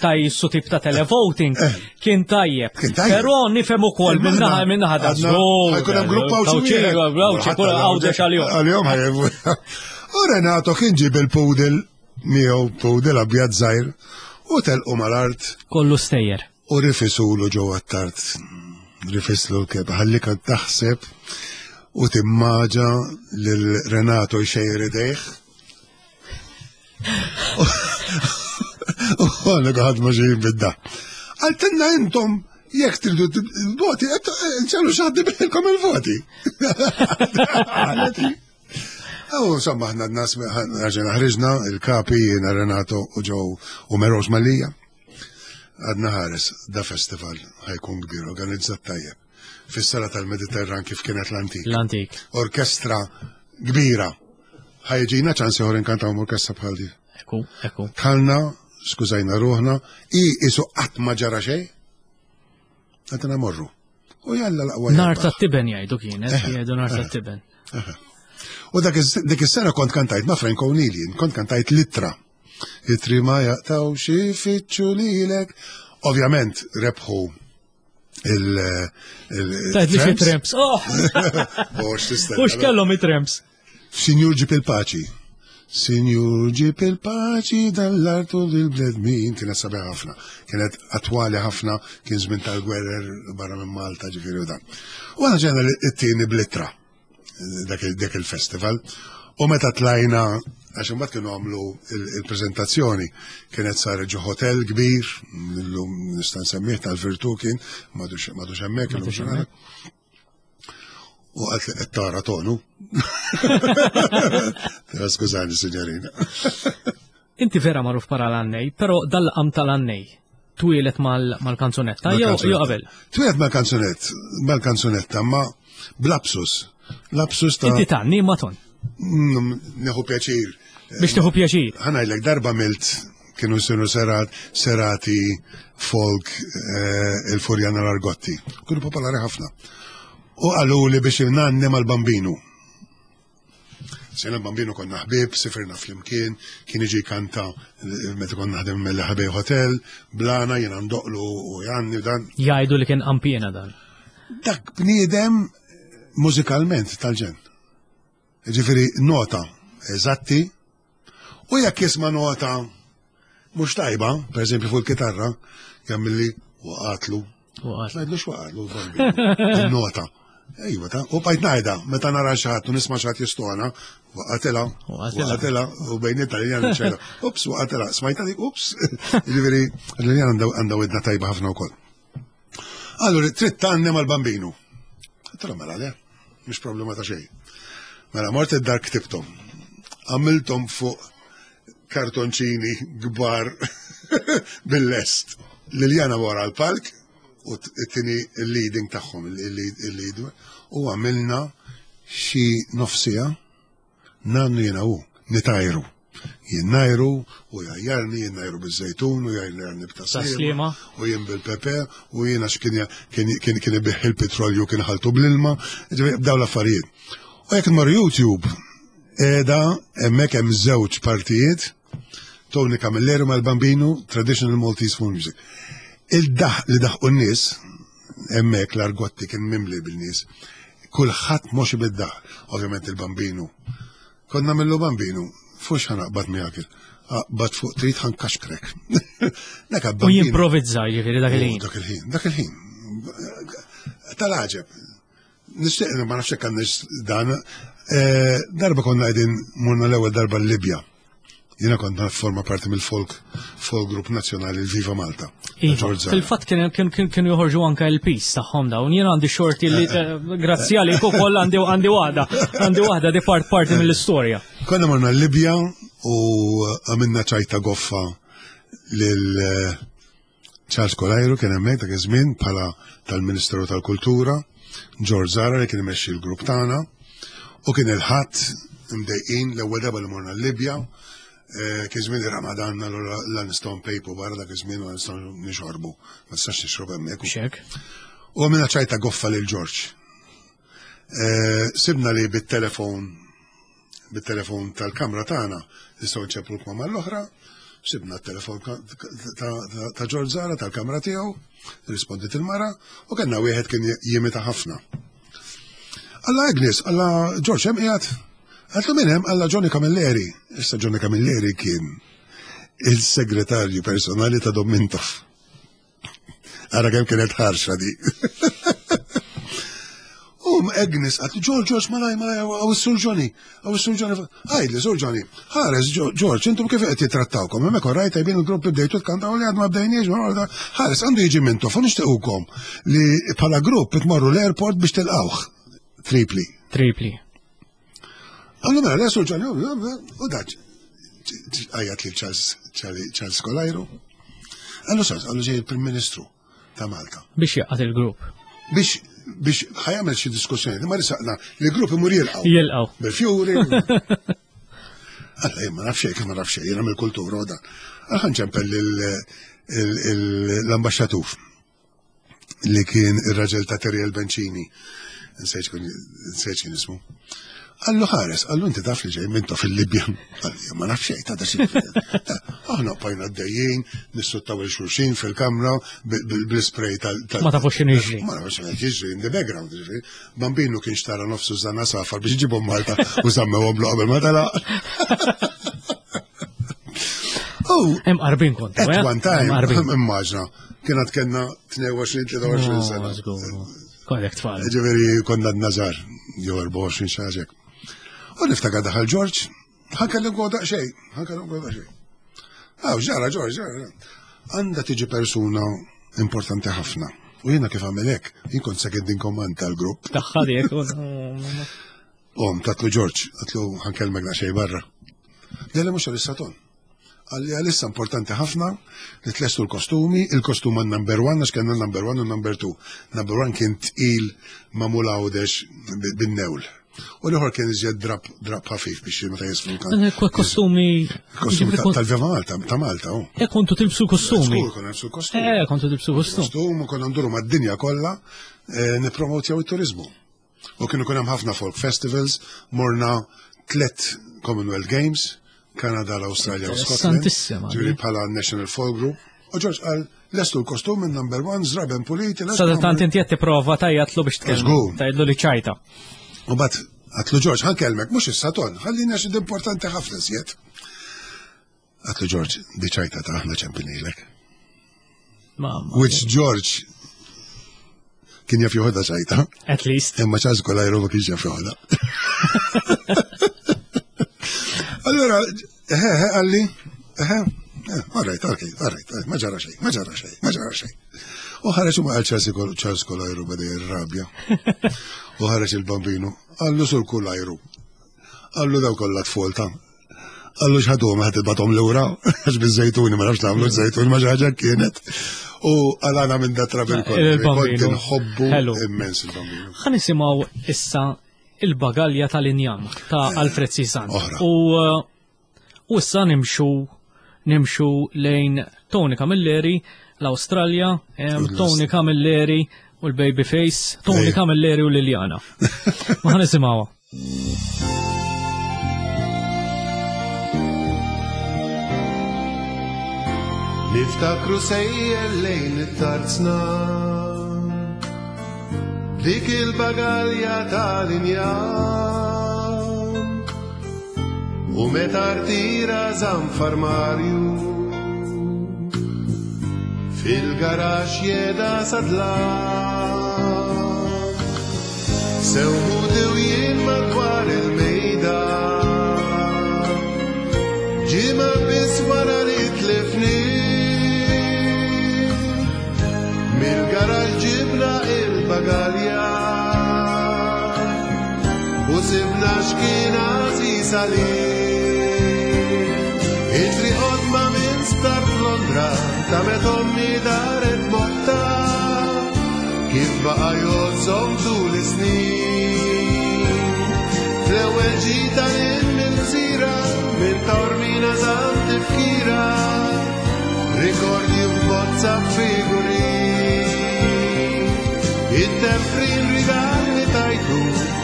ta' jissu tip ta' televoting eh. kien tajjeb. Però nifhem ukoll minnaħa minnaħa da' żgur. Ħajkun hemm grupp għawċi. Għawdex għal-jom. Għal-jom U Renato kien ġib il-pudel miegħu pudel abjad żgħir u telqu mal-art. Kollu stejjer. U rifisulu ġewwa t-tard. Rifislu l-keb. Ħallik taħseb u timmaġa lil Renato jxejjer idejh. U għana għad ma ġejjin bidda. Għaltenna intom jekk tridu voti, nċallu xaħdi bilkom il-voti. U insomma, ħna nas ħarġena ħriġna, il-kapi, jiena Renato u ġew u Meros Malija. Għadna ħares, da festival ħajkun kbir, organizzat tajjeb. Fis-sala tal-Mediterran kif kienet l-antik. L-antik. Orkestra kbira. Ħajġina ċans ieħor inkantaw orkestra bħal di. Ekku, ekku. Tħalna, skużajna ruħna, i isu qatt ma ġara xejn. Għadna morru. U jalla l-aqwa. Nar ta' tiben jgħidu kienet, jgħidu nar ta' tiben. U dak is-sena kont kantajt ma' Frank O'Neill, kont kantajt litra. Itri ma jaqtaw xi fitxu lilek. Ovvjament rebħu il- Tajt li xi tramps. Oh! U x'kellhom it-tramps? Sinjur ġib il-paċi. Sinjur ġib il-paċi dal-artu lil-bledmin. Kienet sabiħ ħafna. Kienet attwali ħafna, kien żmien tal-gwerer barra minn Malta ġifieri u dan. U għana ġejna it-tieni blittra dak il-festival. U meta tlajna, għax imbagħad kienu għamlu il-preżentazzjoni, kienet saret ġo hotel kbir, illum nista' nsemmih tal-Virtu kien, m'għadux hemmhekk illum ġurnata. U għalt li qed tara tonu. Skużani, signorina. Inti vera magħruf para l-għannej, però dal-qam tal-għannej twielet mal-kanzunetta jew qabel? Twielet mal-kanzunett, mal-kanzunetta, ma blapsus. Lapsus ta' Inti tgħanni ma ton. Nieħu pjaċir. Biex tieħu pjaċir. Ħanajlek darba milt kienu sinu serat, serati folk eh, il-Furjana l-Argotti. Kienu popolari ħafna. U qalu li biex nanni mal-bambinu. Sena bambinu konna ħbib, sifirna flimkien, kien iġi kanta eh, meta konna naħdem mill-ħabej hotel, blana jiena ndoqlu u janni u dan. Jgħidu li kien qampjena dan. Dak bniedem mużikalment tal-ġen. Ġifieri nota eżatti u jekk jisma' nota mhux tajba, per eżempju fuq il-kitarra, jagħmilli waqatlu. Ngħidlu x'waqatlu nota. Ejwa ta' u bajt ngħidha meta nara xi ħadd u nisma' xi ħadd jistona, waqatilha, waqatilha u bejn it-Taljan ċejla. Ups, waqatilha, smajta dik, ups. Ġifieri, l-Taljan għandha widna tajba ħafna wkoll. Allura trid tgħannem għall-bambinu. Għedtilhom mela le, mhux problema ta' xejn. Mela mort id-dar ktibthom. Għamilthom fuq kartonċini kbar bil-lest. Liljana wara l-palk u t-tini il-leading tagħhom, il-lead, u għamilna xi nofsija nannu jiena u nitajru. Jien najru u jgħajjarni, jien najru biż-żejtun u jgħajjarni b'taslima u jien bil-pepe u jien għax kien kien kien ibiħ il-petrolju kien ħaltu bl-ilma, dawn l-affarijiet. U jekk tmur YouTube, qiegħda hemmhekk hemm żewġ partijiet Tony Camilleri mal-Bambinu Traditional Maltese Folk Music. Il-daħ li daħqu n-nies, hemmhekk l-argotti kien mimli bil-nies, kulħadd moxi bid-daħ, ovvjament il-Bambinu. Konna millu Bambinu, fux ħanaqbad miegħek aqbad fuq trid ħankaxkrek. Dak U jimprovizza jiġifieri dak il-ħin. Dak il-ħin, dak il-ħin. Tal-għaġeb. Nixtieq ma nafx hekk għandix dan. Eh, darba konna qegħdin morna l-ewwel darba l-Libja. Jiena kont forma parti mill-folk folk group nazzjonali l-Viva Malta. Iva, fil-fatt kienu joħorġu anke l-pis tagħhom dawn. Jiena għandi xorti li eh, eh, grazzi għalik ukoll għandi għandi waħda, għandi waħda di part parti mill-istorja. Konna morna l-Libja u għamilna ċajta goffa lil eh, Charles Kolajru kien hemmhekk dak iż-żmien bħala tal-Ministeru tal-Kultura, George Zara li kien imexxi l-grupp tagħna u kien il-ħadd imdejqin l-ewwel darba li morna l-Libja, eh, kien żmien ir-Ramadan allura la nistgħu npejpu barra dak iż-żmien u nistgħu nixorbu, ma tistax tixrob hemmhekk. Xek. U għamilna ċajta goffa lil George. Eh, sibna li bit-telefon bit-telefon tal-kamra tagħna nistgħu nċemplu l-kmamar l-oħra, sibna t-telefon ta' George Zara tal-kamra tiegħu, rispondit il-mara, u kellna wieħed kien jimita ħafna. Alla Agnes, alla George hemm qiegħed? Għatlu minn hemm alla Johnny Camilleri. Issa Johnny Camilleri kien il-segretarju personali ta' Dom Mintoff. Ara kemm kienet ħarxa di. Um, Agnes, għat, George, George, malaj, malaj, għaw s-sur Johnny, għaw s-sur Johnny, għajd li, sur Johnny, ħares, George, intom kif qed jitrattawkom, hemmhekk orajt tajbin il-grupp bdejtu tkantaw li għad ma bdejniex, ħares, għandu jiġi mintu, fu nixtiequkom li bħala grupp tmorru l-airport biex tilqawh. Tripli. Tripli. Għallu mela, le, sur Johnny, u daċ, għajat li Charles Kolajru. Għallu Charles, għallu ġej il-Prim Ministru ta' Malta. Biex jaqgħad il-grupp. Biex biex ħajamel xi diskussjoni, ma risaqna li grupp imur jilqgħu. Jilqgħu. Bil-fjuri. Alla jien ma nafx xejn, ma nafx xejn, jiena mill-kultura u dan. Għal ċempel l-ambaxxatur. li kien ir-raġel ta' Teriel Bencini, nsejt kien ismu. Għallu ħares, għallu inti taf li ġej minto fil-Libja. Għalli, ma naf xejn, ta' xi. Aħna bqajna d-dejjin, nissuttaw il-xulxin fil-kamra bl-spray tal. Ma tafux x'inhu jiġri. Ma nafux x'inhu jiġri in the background, ġifieri. Bambinu kien xtara nofsu żana safar biex ġibhom Malta u żammewhom qabel ma telaq. Oh, Hemm qarbin kont. At eh? one time, immaġna, kienet kellna 22-23 sena. Kollek tfal. Ġifieri konna d-nazar, jew 24 xaġek. U niftakar daħal Ġorġ, ħankellim għu daqsxejn, ħankellim għu daqsxejn. Aw, ġara Ġorġ, ġara. Għandha tiġi persuna importanti ħafna. U jiena kif għamel hekk, jien kont second in command tal-grupp. Daħħal jekk. Om, tatlu Ġorġ, għatlu ħankelmek daqsxejn barra. Della mhux għalissa ton. Għalli għalissa importanti ħafna li tlestu l-kostumi, il-kostum għan number one, għax kellna number one u number two. Number one kien tqil magħmul għawdex bin-newl. U l-ieħor kien iżjed drab drab ħafif biex meta jisfru kan. Eh, kostumi. Kostumi tal-Viva Malta, ta' Malta. Oh. Eh, kontu tilbsu kostumi. Żgur konna nilbsu kostumi. Eh, kontu tilbsu kostum. Kostum u konna nduru mad-dinja kollha eh, nippromotjaw it-turizmu. U kienu kun hemm ħafna folk festivals, morna tlet Commonwealth Games, Kanada, l-Awstralja u Scotland. Ġifieri bħala National Folk Group. U George qal lestu l-kostum minn number one, zraben puliti. Sada tant inti qed tipprova tajjatlu biex tkellmu. Tajdlu li ċajta. U bat għatlu George, ħan kelmek, mhux issa ton, ħallina xi importanti ħafna żjed. Għatlu George, di ċajta ta' aħna ċempinilek. Which George kien jaf joħodha ċajta. At least. Imma ċaz kolajru ma kienx jaf joħodha. Allora, eħe, eħe, għalli, eħe, eh, all right, okay, all right, ma ġara xejn, ma ġara xejn, ma ġara xejn. U ħareġ u ma għal Charles Kolajru bada jirrabja. U ħareġ il-bambinu, għallu sur Kolajru. Għallu daw kollha tfol ta' Għallu xħadu ma ħed batom l-ura, għax bil-zejtuni, ma nafx namlu zejtuni, ma ħaġa kienet. U għalana minn da trabil kollu. Nħobbu immens il-bambinu. Ħa nisimaw issa il-bagalja tal-injam ta' eh, Alfred Sisan. U eh, U issa nimxu nimxu lejn Tony Camilleri, l-Awstralja, Tony Camilleri u l-Babyface, Tony Camilleri u Liliana. Ma nisimgħuha. Niftakru sejjer lejn it-tarzna Dik il-bagalja tal-injam U meta rtira zanfar Marju Fil-garax jeda sadla Sewħu u jien madwar il-mejda Ġimgħa biss wara li tlifni Mill-garax ġibna il-bagalja U sibna x'kien għażiż għalih Itri qodma minn sptar f'Londra ta' meta ommi daret motta Kif baqa' jgħożżhom tul is-snin Fl-ewwel ġita lil mill-gżira minn Taormina żamm tifkira Rikordji f'bozza figurin It-tefrin rigal li tajtu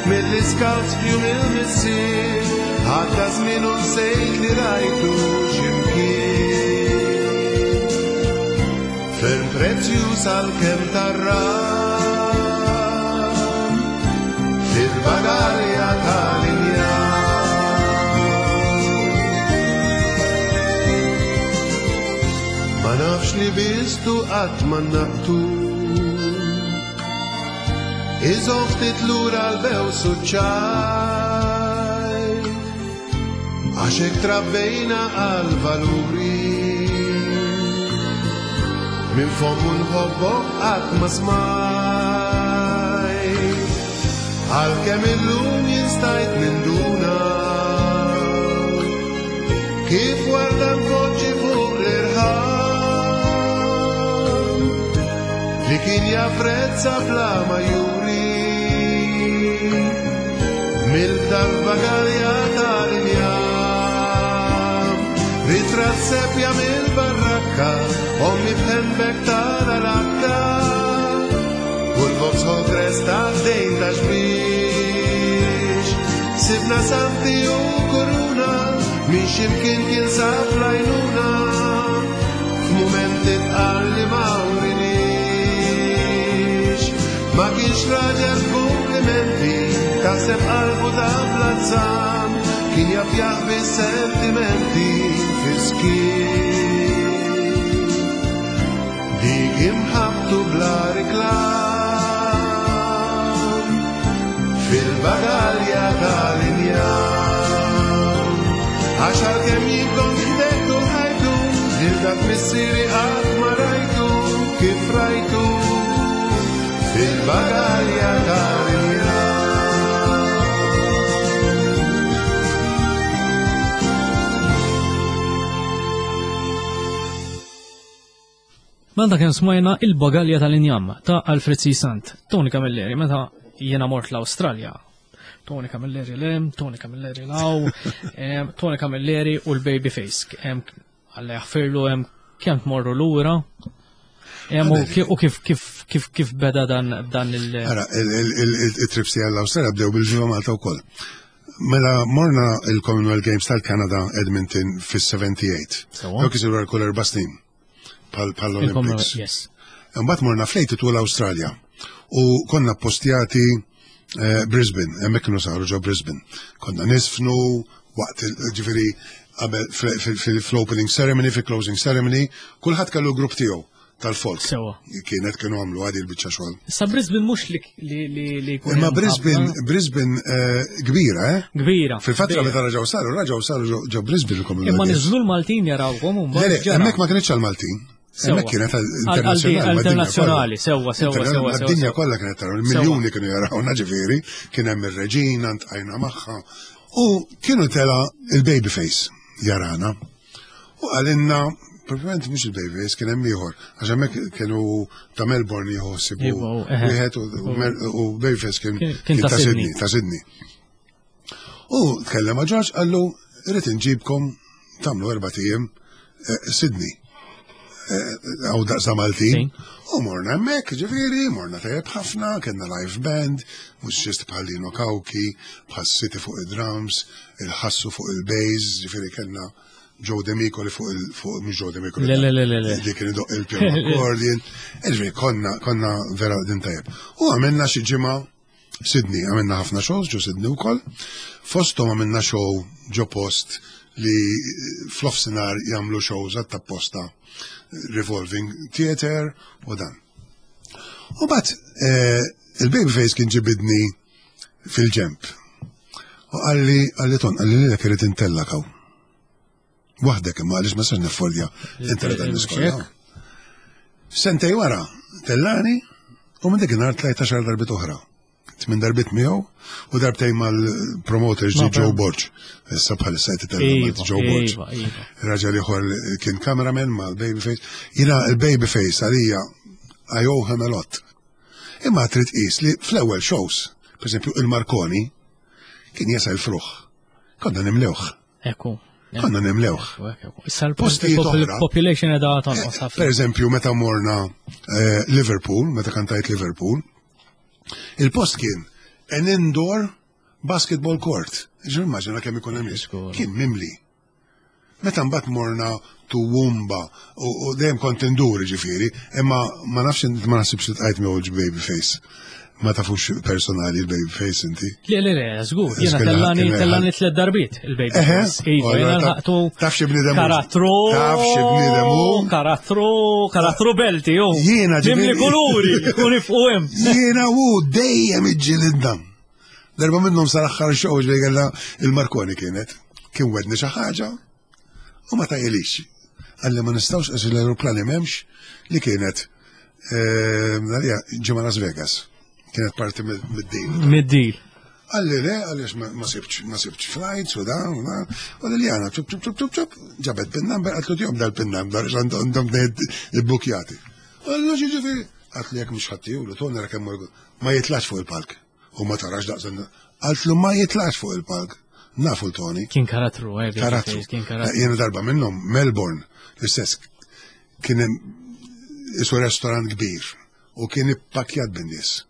mill-iskawts f'jum il-missier Għadda żmien u nsejt li rajtu x'imkien Ferm prezzjuż għalkemm tarram Fil-bagalja tal-injam Ma nafx li bistu qatt ma naqtu Iżomm ftit lura l-bews u ċ-ċajt Għax hekk trabbejna għal valuri Minn fommu nħobbok qatt ma smajt Għalkemm illum jien stajt ninduna Kif warda npoġġi fuq l-irħam Li kien japprezza bla ma juri Mill-dar bagalja tal-injam Ritratt sepja mill-barrakka Ommi b'handbag tal-alakka U l-Vauxhall Cresta dejn ta' xbiex Sibna santi u kuruna Minn ximkien kien sab lajnuna F'mumenti tqal li ma urinix Ma kienx raġel f'kumplimenti Taħseb qalbu ta' plazzam Kien jaf jaħbi sentimenti fiskien Dik imħabtu bla riklam Fil-bagalja tal-injam Għax għalkemm jien kont ħdejtu ħajtu Lil dak missieri qatt ma rajtu Kif rajtu Fil-bagalja tal-injam Mela kemm smajna il-bagalja tal-injam ta' Alfred C. Sant, Tony Camilleri, meta jiena mort l-Awstralja. Tony Camilleri lem, Tony Camilleri law, Tony Camilleri u l-Babyface. Alla jaħfirlu hemm kemm tmorru lura. U kif kif kif kif beda dan dan il- Ara, il-trips tiegħi l-Awstralja bdew bil-Viva Malta wkoll. Mela morna il-Commonwealth Games tal-Kanada Edmonton fis-78. Dawk isiru għal kull erba' snin. Bħal Olympics. Yes. Imbagħad morna flejt tul l-Awstralja u konna postjati eh, Brisbane, hemmhekk kienu saru ġo Brisbane. Konna nisfnu waqt ġifieri qabel fl-opening ceremony, fil-closing ceremony, kulħadd kellu grupp tiegħu tal-folk. Sewa. Kienet kienu għamlu għadi l-bicċa xogħol. Issa Brisbane mhux li li li jkun Imma Brisbane, Brisbane eh, kbira, eh? Kbira. Fil-fatt meta raġaw saru, raġaw saru ġo Brisbane il-Commonwealth. Imma niżlu l-Maltin jarawhom u mbagħad. Hemmhekk ma kienx għall-Maltin. Hemmhekk kienet internazzjonali. Internazzjonali, sewwa, sewwa, sewwa. Id-dinja kollha kienet taraw, miljuni kienu jarawna ġifieri, kien hemm ir-reġina ntqajna magħha. U kienu tela il-babyface jarana. U għalinna, proprjament mhux il-Babyface kien hemm ieħor, għax hemmhekk kienu ta' Melbourne jħossibu wieħed u Babyface kien ta' Sydney. Ta' Sydney. U tkellem ma' George qallu irrid inġibkom tagħmlu erbat ijiem eh, Sydney. Eh, għaw daqsa Maltin. U morna hemmhekk, ġifieri, morna tajjeb ħafna, kellna live band, mużiċist bħal Lino Kawki, bħal City fuq id-drums, il-ħassu fuq il-bass, ġifieri kellna Joe Demicoli fuq il fuq mhux Joe Demicoli. Le, le, le, le, le. Li kien idoq il-piano accordion. Ġifieri konna konna vera din tajjeb. U għamilna xi ġimgħa Sydney, għamilna ħafna shows ġo Sydney wkoll. Fosthom għamilna show ġo post li fl-offsinar jagħmlu shows għat-tapposta revolving theater u dan. U bat eh, il-Babyface kien ġibidni fil-ġemp. U għalli, għalli ton, għalli li l-ek irrid intella kaw. Waħdek imma għaliex ma sax niffolja intella dan l-iskola. Sentej wara, tellani, u minn dik nhar tlajt għaxar darbit oħra. Tmin darbit miegħu u darbtejn mal-promoter ġi Joe Borg. Issa bħalissa qed itella' iva, Joe Borg. Iva, iva. Raġel ieħor kien cameraman mal-Babyface. Jiena il-Babyface għalija I owe him a lot. Imma trid tqis li fl-ewwel shows, pereżempju il-Marconi, kien jasal fruħ. Konna nimlewh. Ekku. Konna nimlewh. Issa l-population edha tonqos ħafna. Per eżempju, meta morna eh, Liverpool, meta kantajt Liverpool, il-post kien an indoor basketball court. Ġur immaġina kemm ikun hemm Kien mimli. Meta mbagħad morna Toowoomba u dejjem kont indur ġifieri, imma ma nafx ma naħsibx li tqajt miegħu baby face. Ma tafux personali il-baby face inti. Le, le, le, żgur, jiena tellani tellani tliet darbiet il-baby face. Iva, jiena lħaqtu. Taf xi bniedem. Karattru. Taf xi bniedem hu. Karattru, karattru belti, hu. Jiena ġimli kuluri, u nifqu hemm. Jiena u dejjem iġġilidna. Darba minnhom sal-aħħar show ġej kellha il-Marconi kienet. Kien wedni xi ħaġa u ma tajilix. Għalli ma nistgħux għax l-aeroplani m'hemmx li kienet ehm, ġimgħa Las Vegas. Kienet parti mid-deal. Mid-deal. Għalli le, għaliex ma sibx, ma sibx flights u dan, u dan, u Liliana, ċup, ċup, ċup, ċup, ċup, ġabet pin number, għatlu tjom dal-pin number, għandhom il-bukjati. Għallu ġiġifieri, għatlu jek mux ħattiju, li tonera kemm ma jitlax fuq il-palk. U ma tarax daqs Qaltlu ma jitlax fuq il-palk. Nafu l-Tony. Kien karattru, eh, karattru. Kien karattru. Jiena darba minnhom Melbourne, l-istess kien hemm isu restorant kbir u kien ippakjat bin-nies.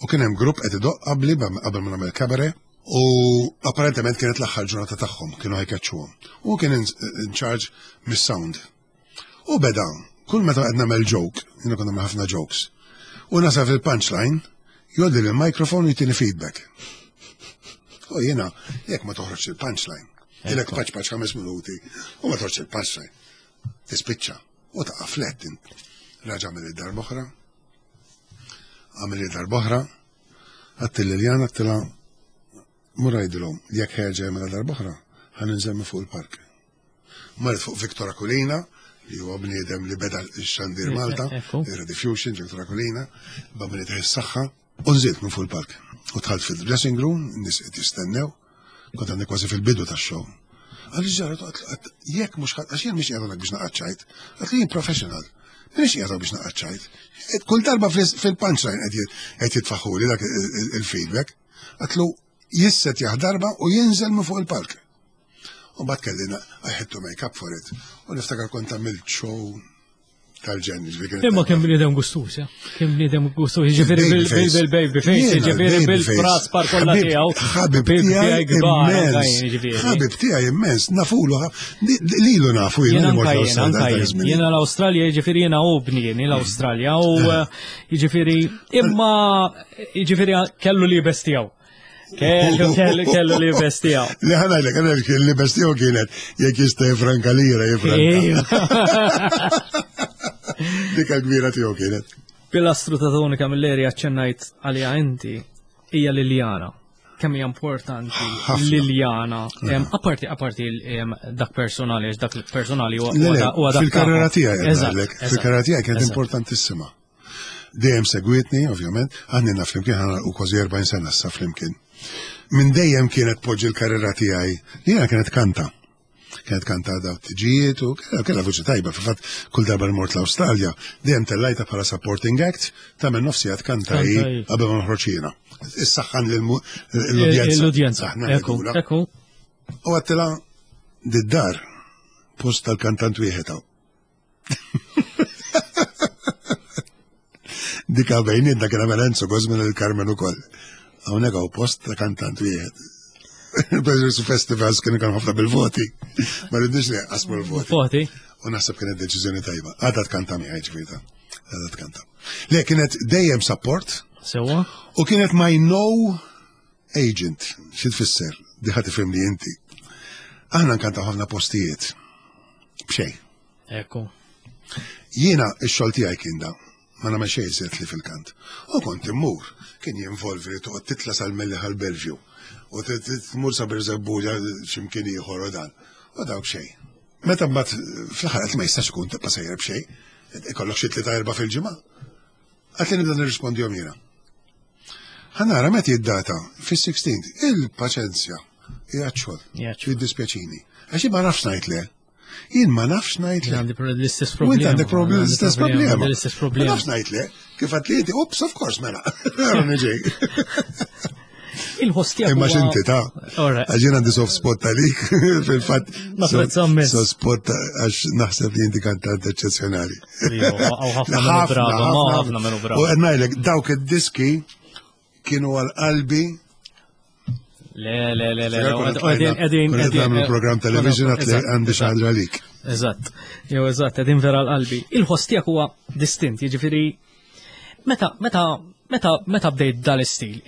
U kien hemm grupp qed idoq qabli qabel ma nagħmel cabaret u apparentement kienet l-aħħar ġurnata tagħhom kienu ħajkeċċuhom. U kien in charge mis-sound. U beda, kull meta qed nagħmel joke, jiena kont nagħmel ħafna jokes, u nasal fil-punchline, jgħoddi l-mikrofon u jtini feedback. U jiena, jekk ma toħroġ il-punchline, ilek paċ paċ ħames minuti, u ma toħroġ il-punchline, tispiċċa, u taqa' flet int. Raġa' għamel id-darba oħra, għamel id-darba oħra, għattil Liliana għattila mur għidilhom jekk ħerġa jagħmilha darba oħra, ħa ninżel minn fuq il-park. Marret fuq Victor Aquilina, li huwa bniedem li beda x-xandir Malta, il-Rediffusion, Victor Aquilina, bambini taħ is-saħħa, u nżilt minn fuq il-park. U dħalt fil-dressing room, nies qed jistennew, kont għandi kważi fil-bidu tax-show. Għalli ġara, jekk mhux għax jien mhix qiegħed biex naqgħad għat li jien professional. Mhix qiegħed biex naqgħad Kull darba fil-punchline qed jitfaħħuli dak il-feedback. Għatlu jisset darba u jinżel minn fuq il-park. U bat kelli I had to make up for it. U niftakar kont għamilt show tal-ġen. Imma kien bniedem gustus, ja? Kien bniedem gustus, ġifieri bil-baby face, ġifieri bil-fras par kollha tiegħu. Ħabib tiegħi immens. Ħabib tiegħi immens, nafulu, lilu nafu jiena Jiena l-Awstralja ġifieri jiena u bnieni l-Awstralja u eh. ġifieri imma ġifieri kellu libes tiegħu. Kellu, kellu, kellu li bestija. Li ħana li kien li bestija kienet jekk jista' jifranka lira jifranka. Dik kbira tiegħu kienet. Pilastru ta' Tony Camilleri aċċennajt għalija inti hija Liliana. Kemm hija importanti Liliana. Apparti apparti dak personali, għax dak personali huwa dak. Fil-karriera tiegħi, fil-karriera tiegħi kienet importantissima. Dejjem segwitni, ovvjament, għandna flimkien ħana u kważi 40 sena issa flimkien. Minn dejjem kienet poġġi l-karriera tiegħi, jiena kienet kanta. Kienet kanta daw tiġijiet u kellha vuċi tajba, fil-fatt kull darba mort l-Awstralja, dejjem tellajta bħala supporting act, tagħmel nofsija tkanta hi qabel ma noħroġ jiena. Issaħħan l-udjenza. L-udjenza. Ekku, ekku. U għattila d-dar. post tal-kantant wieħed hawn. Dika bejnietna kien għamel Enzo Gosman il-Carmen ukoll. Hawnhekk hawn post ta' kantant wieħed. Il-Presidents Festivals kienu kan ħafna bil-voti. Ma rridniex li qasmu l-voti. Voti. U naħseb kienet deċiżjoni tajba. Għadha tkanta miegħi ġifieri. Għadha tkanta. Le kienet dejjem support. Sewa. U kienet my no agent. Xi tfisser? Di ħa tifhimni inti. Aħna nkantaw ħafna postijiet. B'xejn. Ekku. Jiena x-xogħol tiegħi kien da. Ma nagħmel xejn iżjed li fil-kant. U kont immur, kien jinvolvi li toqgħod titla' sal-Mellieħa l-Bellevue u tmur sa Birżebbuġa x'imkien ieħor u dan. U dawk xejn. Meta mbagħad fl-aħħar qed ma jistax ikun tibqa' sejjer b'xejn, ikollok xi tlieta erba' fil-ġimgħa. Qatt li nibda nirrispondihom jiena. Ħa nara meta id-data fis-16 il-paċenzja hija xogħol. Jiddispjaċini. Għax ma nafx ngħid le. Jien ma nafx ngħid le. Għandi l-istess problema. U int għandek l-istess problema. L-istess problema. Ma nafx ngħid le. Kif għad li ups, of course, mela. Niġi. Il-ħoss tiegħek. Imma x'inti ta' għax jien għandi soft spot għalik fil-fatt. Soft spot għax naħseb li inti kantant eċċezzjonali. Ħafna minnu bravo, ħafna minnu bravo. U qed ngħidlek dawk id-diski kienu għal qalbi Le, le, le, le, għedin, għedin, għedin. program television għat li għandi xaħġa għalik. Eżatt, jew eżatt, għedin vera l-qalbi. Il-ħoss tiegħek huwa distint, jiġifieri meta, meta, meta, meta bdejt dal-istil,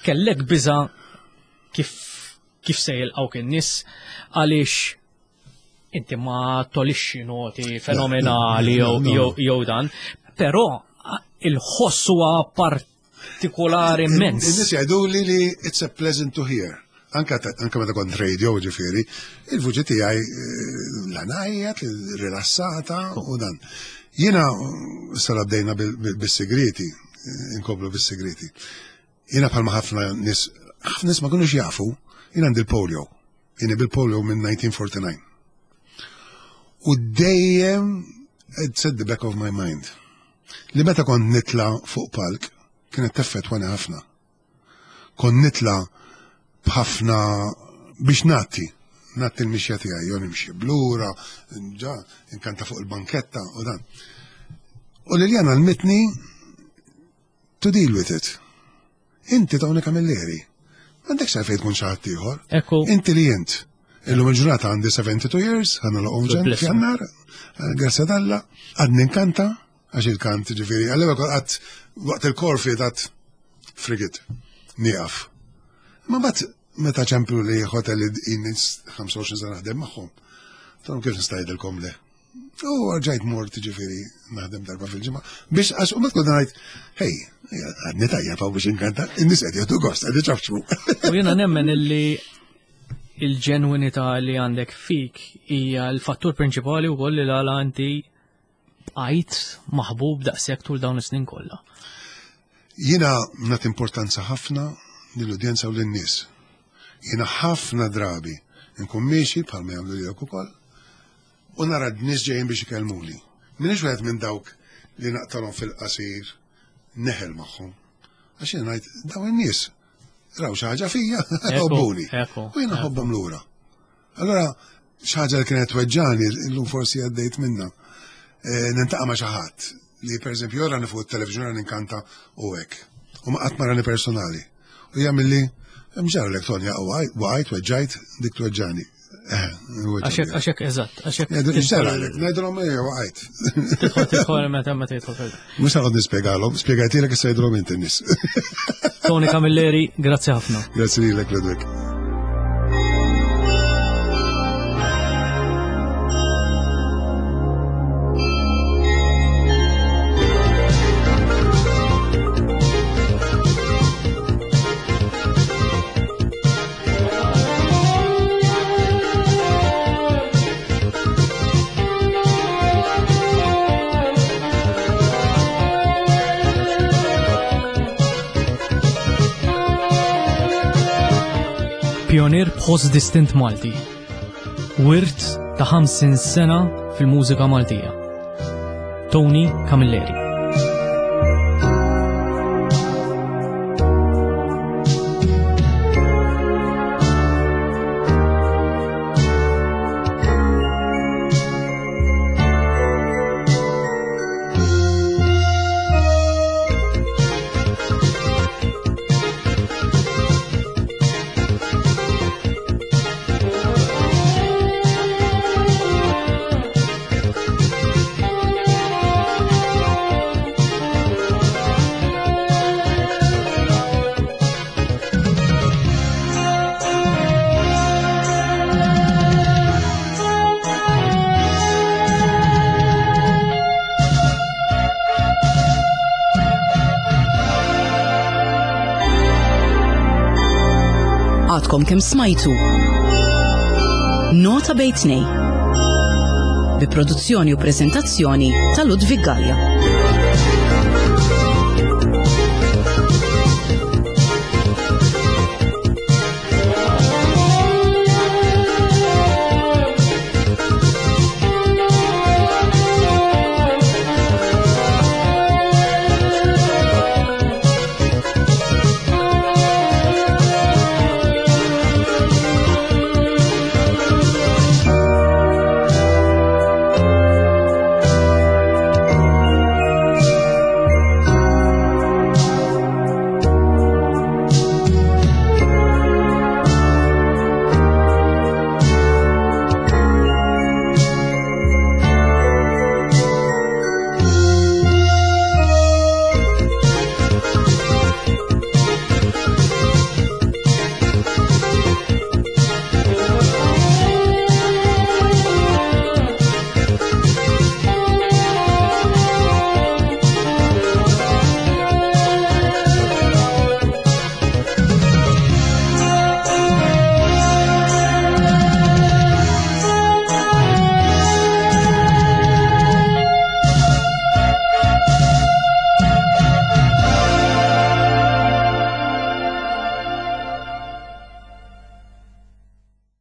kellek biża kif kif se jilqgħuk in-nies għaliex inti ma tolixxi noti fenomenali jew dan, però il-ħoss huwa partikolari immens. In-nies jgħiduli li it's a pleasant to hear. Anka anka meta kont radio ġifieri, il-vuċi tiegħi eh, la ngħajjat, rilassata u dan. Jiena sara bdejna bis-segreti, eh, inkomplu bis-segreti. Jiena bħalma ħafna nies, ħafna nies ma kinux jafu, jiena għandi l-polio. Jiena bil-polio minn 1949. U dejjem it's at the back of my mind. Li meta kont nitla fuq palk, kienet teffettwani ħafna. Kont nitla b'ħafna biex nagħti, nagħti l-mixja tiegħi, jew nimxi blura, ġa, inkanta fuq il-banketta u dan. U Liliana għalmitni to deal with it. Inti Tony Camilleri. M'għandekx għalfejn tkun xi ħadd ieħor. Ekku. Inti li int. Illum il-ġurnata għandi 72 years, ħanna l-oqom ġen f'jannar, eh, grazzja d'Alla, għadni nkanta, għax il-kant ġifieri, għallewel għad waqt il-korfi għad frigit, nieqaf. Ma bat meta ċemplu li hotel li 25 sena naħdem magħhom, tom kif nistajdilkom le. U rġajt mort ġifiri naħdem darba fil-ġimgħa biex għax u tkun ngħid, hej, għadni tajjeb hawn biex inkanta, in-nies qed jieħdu gost, qed iċafċu. U jiena nemmen illi il-ġenwinità li għandek fik hija l-fattur prinċipali wkoll li l-għala inti bqajt maħbub daqshekk tul dawn is-snin kollha. Jiena nagħti importanza ħafna lill-udjenza u lin-nies. Jiena ħafna drabi nkun miexi bħalma jagħmlu lilek ukoll u nara d-nies ġejjin biex ikellmuni. M'iniex wieħed minn dawk li naqtalhom fil-qasir neħel magħhom. Għax jiena ngħid dawn in-nies raw xi ħaġa fija, ħobbuni. U jiena ħobbhom lura. Allora xi ħaġa li kienet tweġġani illum forsi għaddejt minna. Eh, nintaqa' ma' xi ħadd li pereżempju jorani fuq it-television ninkanta u hekk. U ma qatt marani personali. U jagħmilli mġarlek Tonja waqajt weġġajt dik tweġġani. Eh, għaxek, għaxek, eżatt, għaxek. Ngħidilhom, ngħidilhom ejja waqajt. Tidħol tidħol meta meta jidħol. Mhux ħaqgħod nispjegalhom, spjegajtilek issa jidhom inti nies. Tony Camilleri, grazzi ħafna. Grazzi lilek Ludwig. Pionier b'ħoss distint Malti. Wirt ta' 50 sena fil-mużika Maltija. Tony Camilleri. Għadkom kemm smajtu Nota Bejtnej bi produzzjoni u prezentazzjoni ta' Ludwig Gallia.